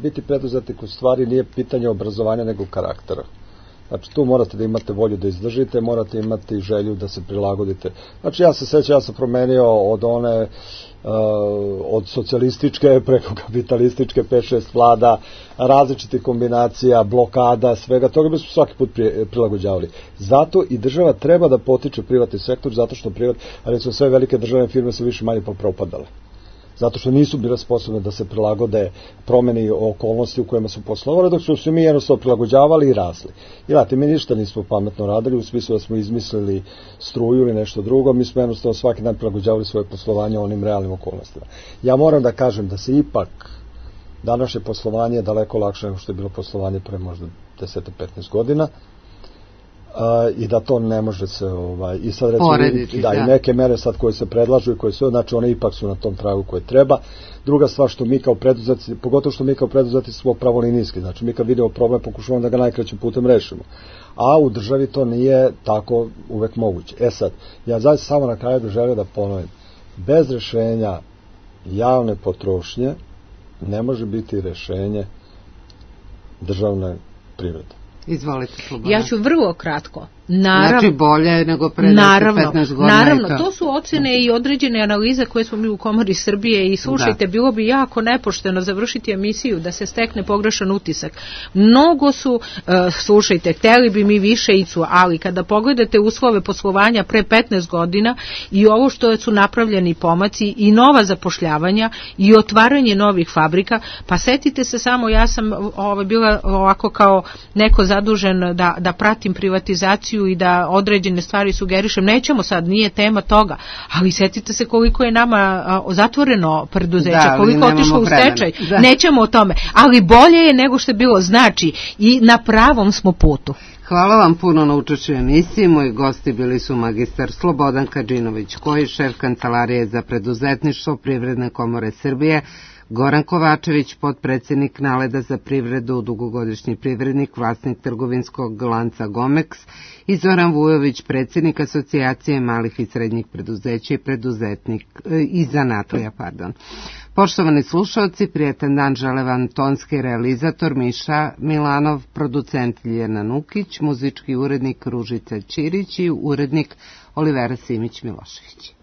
Biti preduzetnik u stvari nije pitanje obrazovanja nego karaktera. Znači tu morate da imate volju da izdržite, morate imati želju da se prilagodite. Znači ja se sećam, ja sam promenio od one Uh, od socijalističke preko kapitalističke pet šest vlada, različitih kombinacija, blokada, svega toga bi smo svaki put prilagođavali. Zato i država treba da potiče privatni sektor, zato što privat, recimo sve velike državne firme su više manje propadale. Zato što nisu bile sposobne da se prilagode promeni okolnosti u kojima su poslovali, dok su se mi jednostavno prilagođavali i rasli. I znate, mi ništa nismo pametno radili, u smislu da smo izmislili struju ili nešto drugo, mi smo jednostavno svaki dan prilagođavali svoje poslovanje onim realnim okolnostima. Ja moram da kažem da se ipak današnje poslovanje je daleko lakše nego što je bilo poslovanje pre možda deset do petnaest godina. Uh, i da to ne može se ovaj, i sad recimo Porediti, da, da, i neke mere sad koje se predlažu i koje su, znači one ipak su na tom tragu koje treba. Druga stvar što mi kao preduzetnici, pogotovo što mi kao preduzetnici smo pravolinijski, znači mi kad vidimo problem pokušavamo da ga najkraćim putem rešimo, a u državi to nije tako uvek moguće. E sad, ja zaista samo na kraju bih želeo da ponovim, bez rešenja javne potrošnje ne može biti rešenje državne privrede. Izvolite, Slobodana. Ja ću vrlo kratko. Naravno, znači bolje nego pre petnaest godina. Naravno, to. to su ocjene i određene analize koje smo mi u Komori Srbije i slušajte, da. bilo bi jako nepošteno završiti emisiju da se stekne pogrešan utisak. Mnogo su, uh, slušajte, hteli bi mi više icu, ali kada pogledate uslove poslovanja pre petnaest godina i ovo što su napravljeni pomaci i nova zapošljavanja i otvaranje novih fabrika, pa setite se samo, ja sam ovo, bila ovako kao neko zadužen da, da pratim privatizaciju i da određene stvari sugerišem, nećemo sad, nije tema toga, ali setite se koliko je nama a, zatvoreno preduzeća, da, koliko je otišlo u stečaj, da. nećemo o tome, ali bolje je nego što je bilo, znači i na pravom smo putu. Hvala vam puno na učešću u emisiji. Moji gosti bili su magistar Slobodan Kadžinović, koji je šef Kancelarije za preduzetništvo Privredne komore Srbije, Goran Kovačević, potpredsjednik Naleda za privredu, dugogodišnji privrednik, vlasnik trgovinskog lanca Gomeks, i Zoran Vujović, predsjednik Asocijacije malih i srednjih preduzeća i preduzetnik i zanatlija, pardon. Poštovani slušalci, prijetan dan žele vam tonski realizator Miša Milanov, producent Ljena Nukić, muzički urednik Ružica Ćirić i urednik Olivera Simić Milošević.